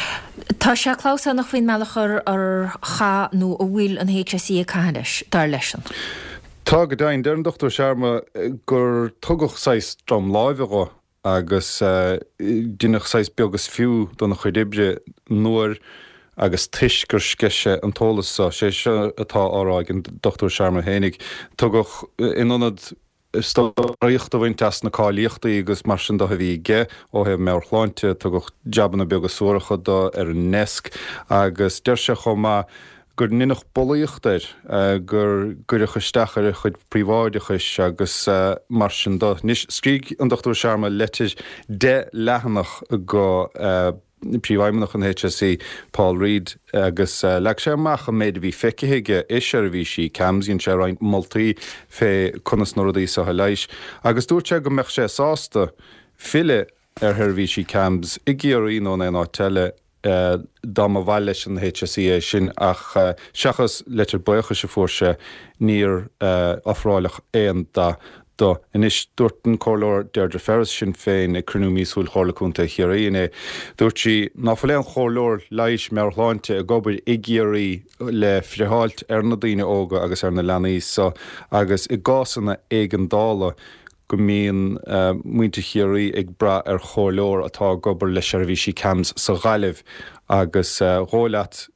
Tá sé clamhsánach faoin mbealach ar chaith nó a bhfuil an HSE ag caitheamh leis, dar leisean. Tá, go deimhin. Deir an Dr Sharma gur tugadh saghas droim láimhe dho agus deineadh saghas beag is fiú dona chuid oibre nuair agus toisc gur sceith sé an t-eolas so. Sé seo atá á rá ag an Dr Sharma fhéinig. Tugadh, in ionad draíocht a bhaint as na cáilíochtaí agus mar sin do a bhí aige ó thaobh meabhairshláinte. Tugadh jabanna beaga suaracha do ar an ndeasc agus deir sé chomh maith gur deineadh bulaíocht air, gur cuireadh isteach ar a chuid príobháideachais agus mar sin do. Anois, scrígh an Dr Sharma leitir 10 leathanach go. Príomhfheidhmeannach an HSE, Paul Reid, agus leag sé amach an méid a bhí feicthe aige i seirbhísí CAMHS. Dhein sé roinnt moltaí fé conas na rudaí seo a leigheas agus dúirt sé go mbeadh sé sásta filleadh ar sheirbhísí CAMHS i gCiarraí nó in aon áit eile dá mba mhaith leis an HSE é sin ach seachas leitir buíochais a fuair sé níor ofráileadh aon dath dó. Anois, dúirt an Comhairleoir Deirdre Ferris, Sinn Féin, ag cruinniú míosúil Chomhairle Contae Chiarraí inné, dúirt sí ná fuil aon chomhairleoir leighis meabhairshláinte ag obair i gCiarraí le friotháilt ar na daoine óga agus ar na leanaí so agus i gcásanna éigeandála go mbíonn muintir Chiarraí ag brath ar chomhairleoir atá ag obair le seirbhísí CAMHS sa Ghaillimh agus dhóigh leat.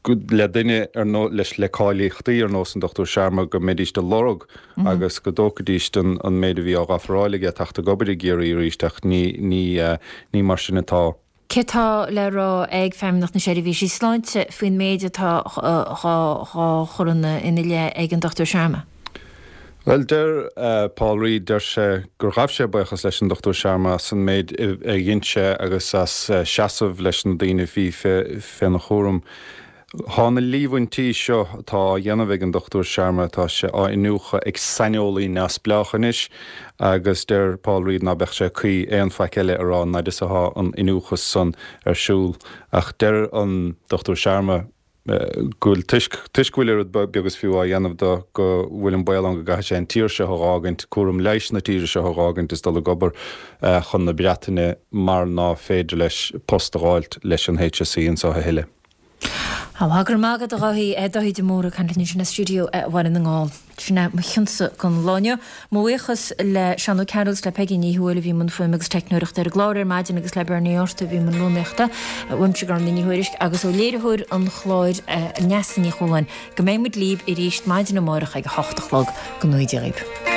Le duine ar nós, leis, le cáilíochtaí ar nós an Dr Sharma go mbeidíst á lorg agus go dtógfaidíst an méid a bhí á dh'ofráil aige teacht ag obair i gCiarraí arís ach ní, ní, ní mar sin atá. Cé tá le rá ag Feidhmeannacht na Seirbhísí Sláinte faoin méid atá dhá chur ina leith ag an Dr Sharma? Bhuel, deir Paul Reid, deir sé gur ghabh sé buíochas leis an Dr Sharma as an méid a dhein sé agus as seasamh leis na daoine a bhí féna chúram. Thá na líomhaintí seo atá á dhéanamh ag an Dr Sharma, tá sé á iniúchadh ag saineolaí neamhspleách anois agus deir Paul Reid ná beadh sé cuí aon faic eile a rá an fhaid is athá an iniúchadh san ar siúl. Ach deir an Dr Sharma, go bhfuil, toisc, toisc go bhfuil oiread beag is fiú á dhéanamh dó, go bhfuil an baol ann go gcaithfidh sé an tír seo a dh'fhágaint, cúram leighis na tíre seo a dh'fhágaint is dul ag obair chun na Breataine mar ná féidir leis post a dh'fháilt leis an HSE anso a thuilleadh. Go raibh maith agat a Dháithí, Dáithí de Mórdha ag caint linn ansin as stiúideo Bhaile na nGall. Sin é mo chionsa don lá inniu. Mo bhuíochas le Seán Ó Cearúil is le Peigí Ní Thuathail a bhí i mbun fuaime agus teicneoireachta ar an gclár ar maidin agus le Bernie Arthur a bhí i mbun rúnaíochta. Uaimse Gormfhlaith Ní Thuairisg agus ó léiritheoir an chláir Neasa Ní Chualáin. Go mbeidh muid libh arís maidin amárach ag a hocht a chlog. Go ngnóthaí Dia dhaoibh.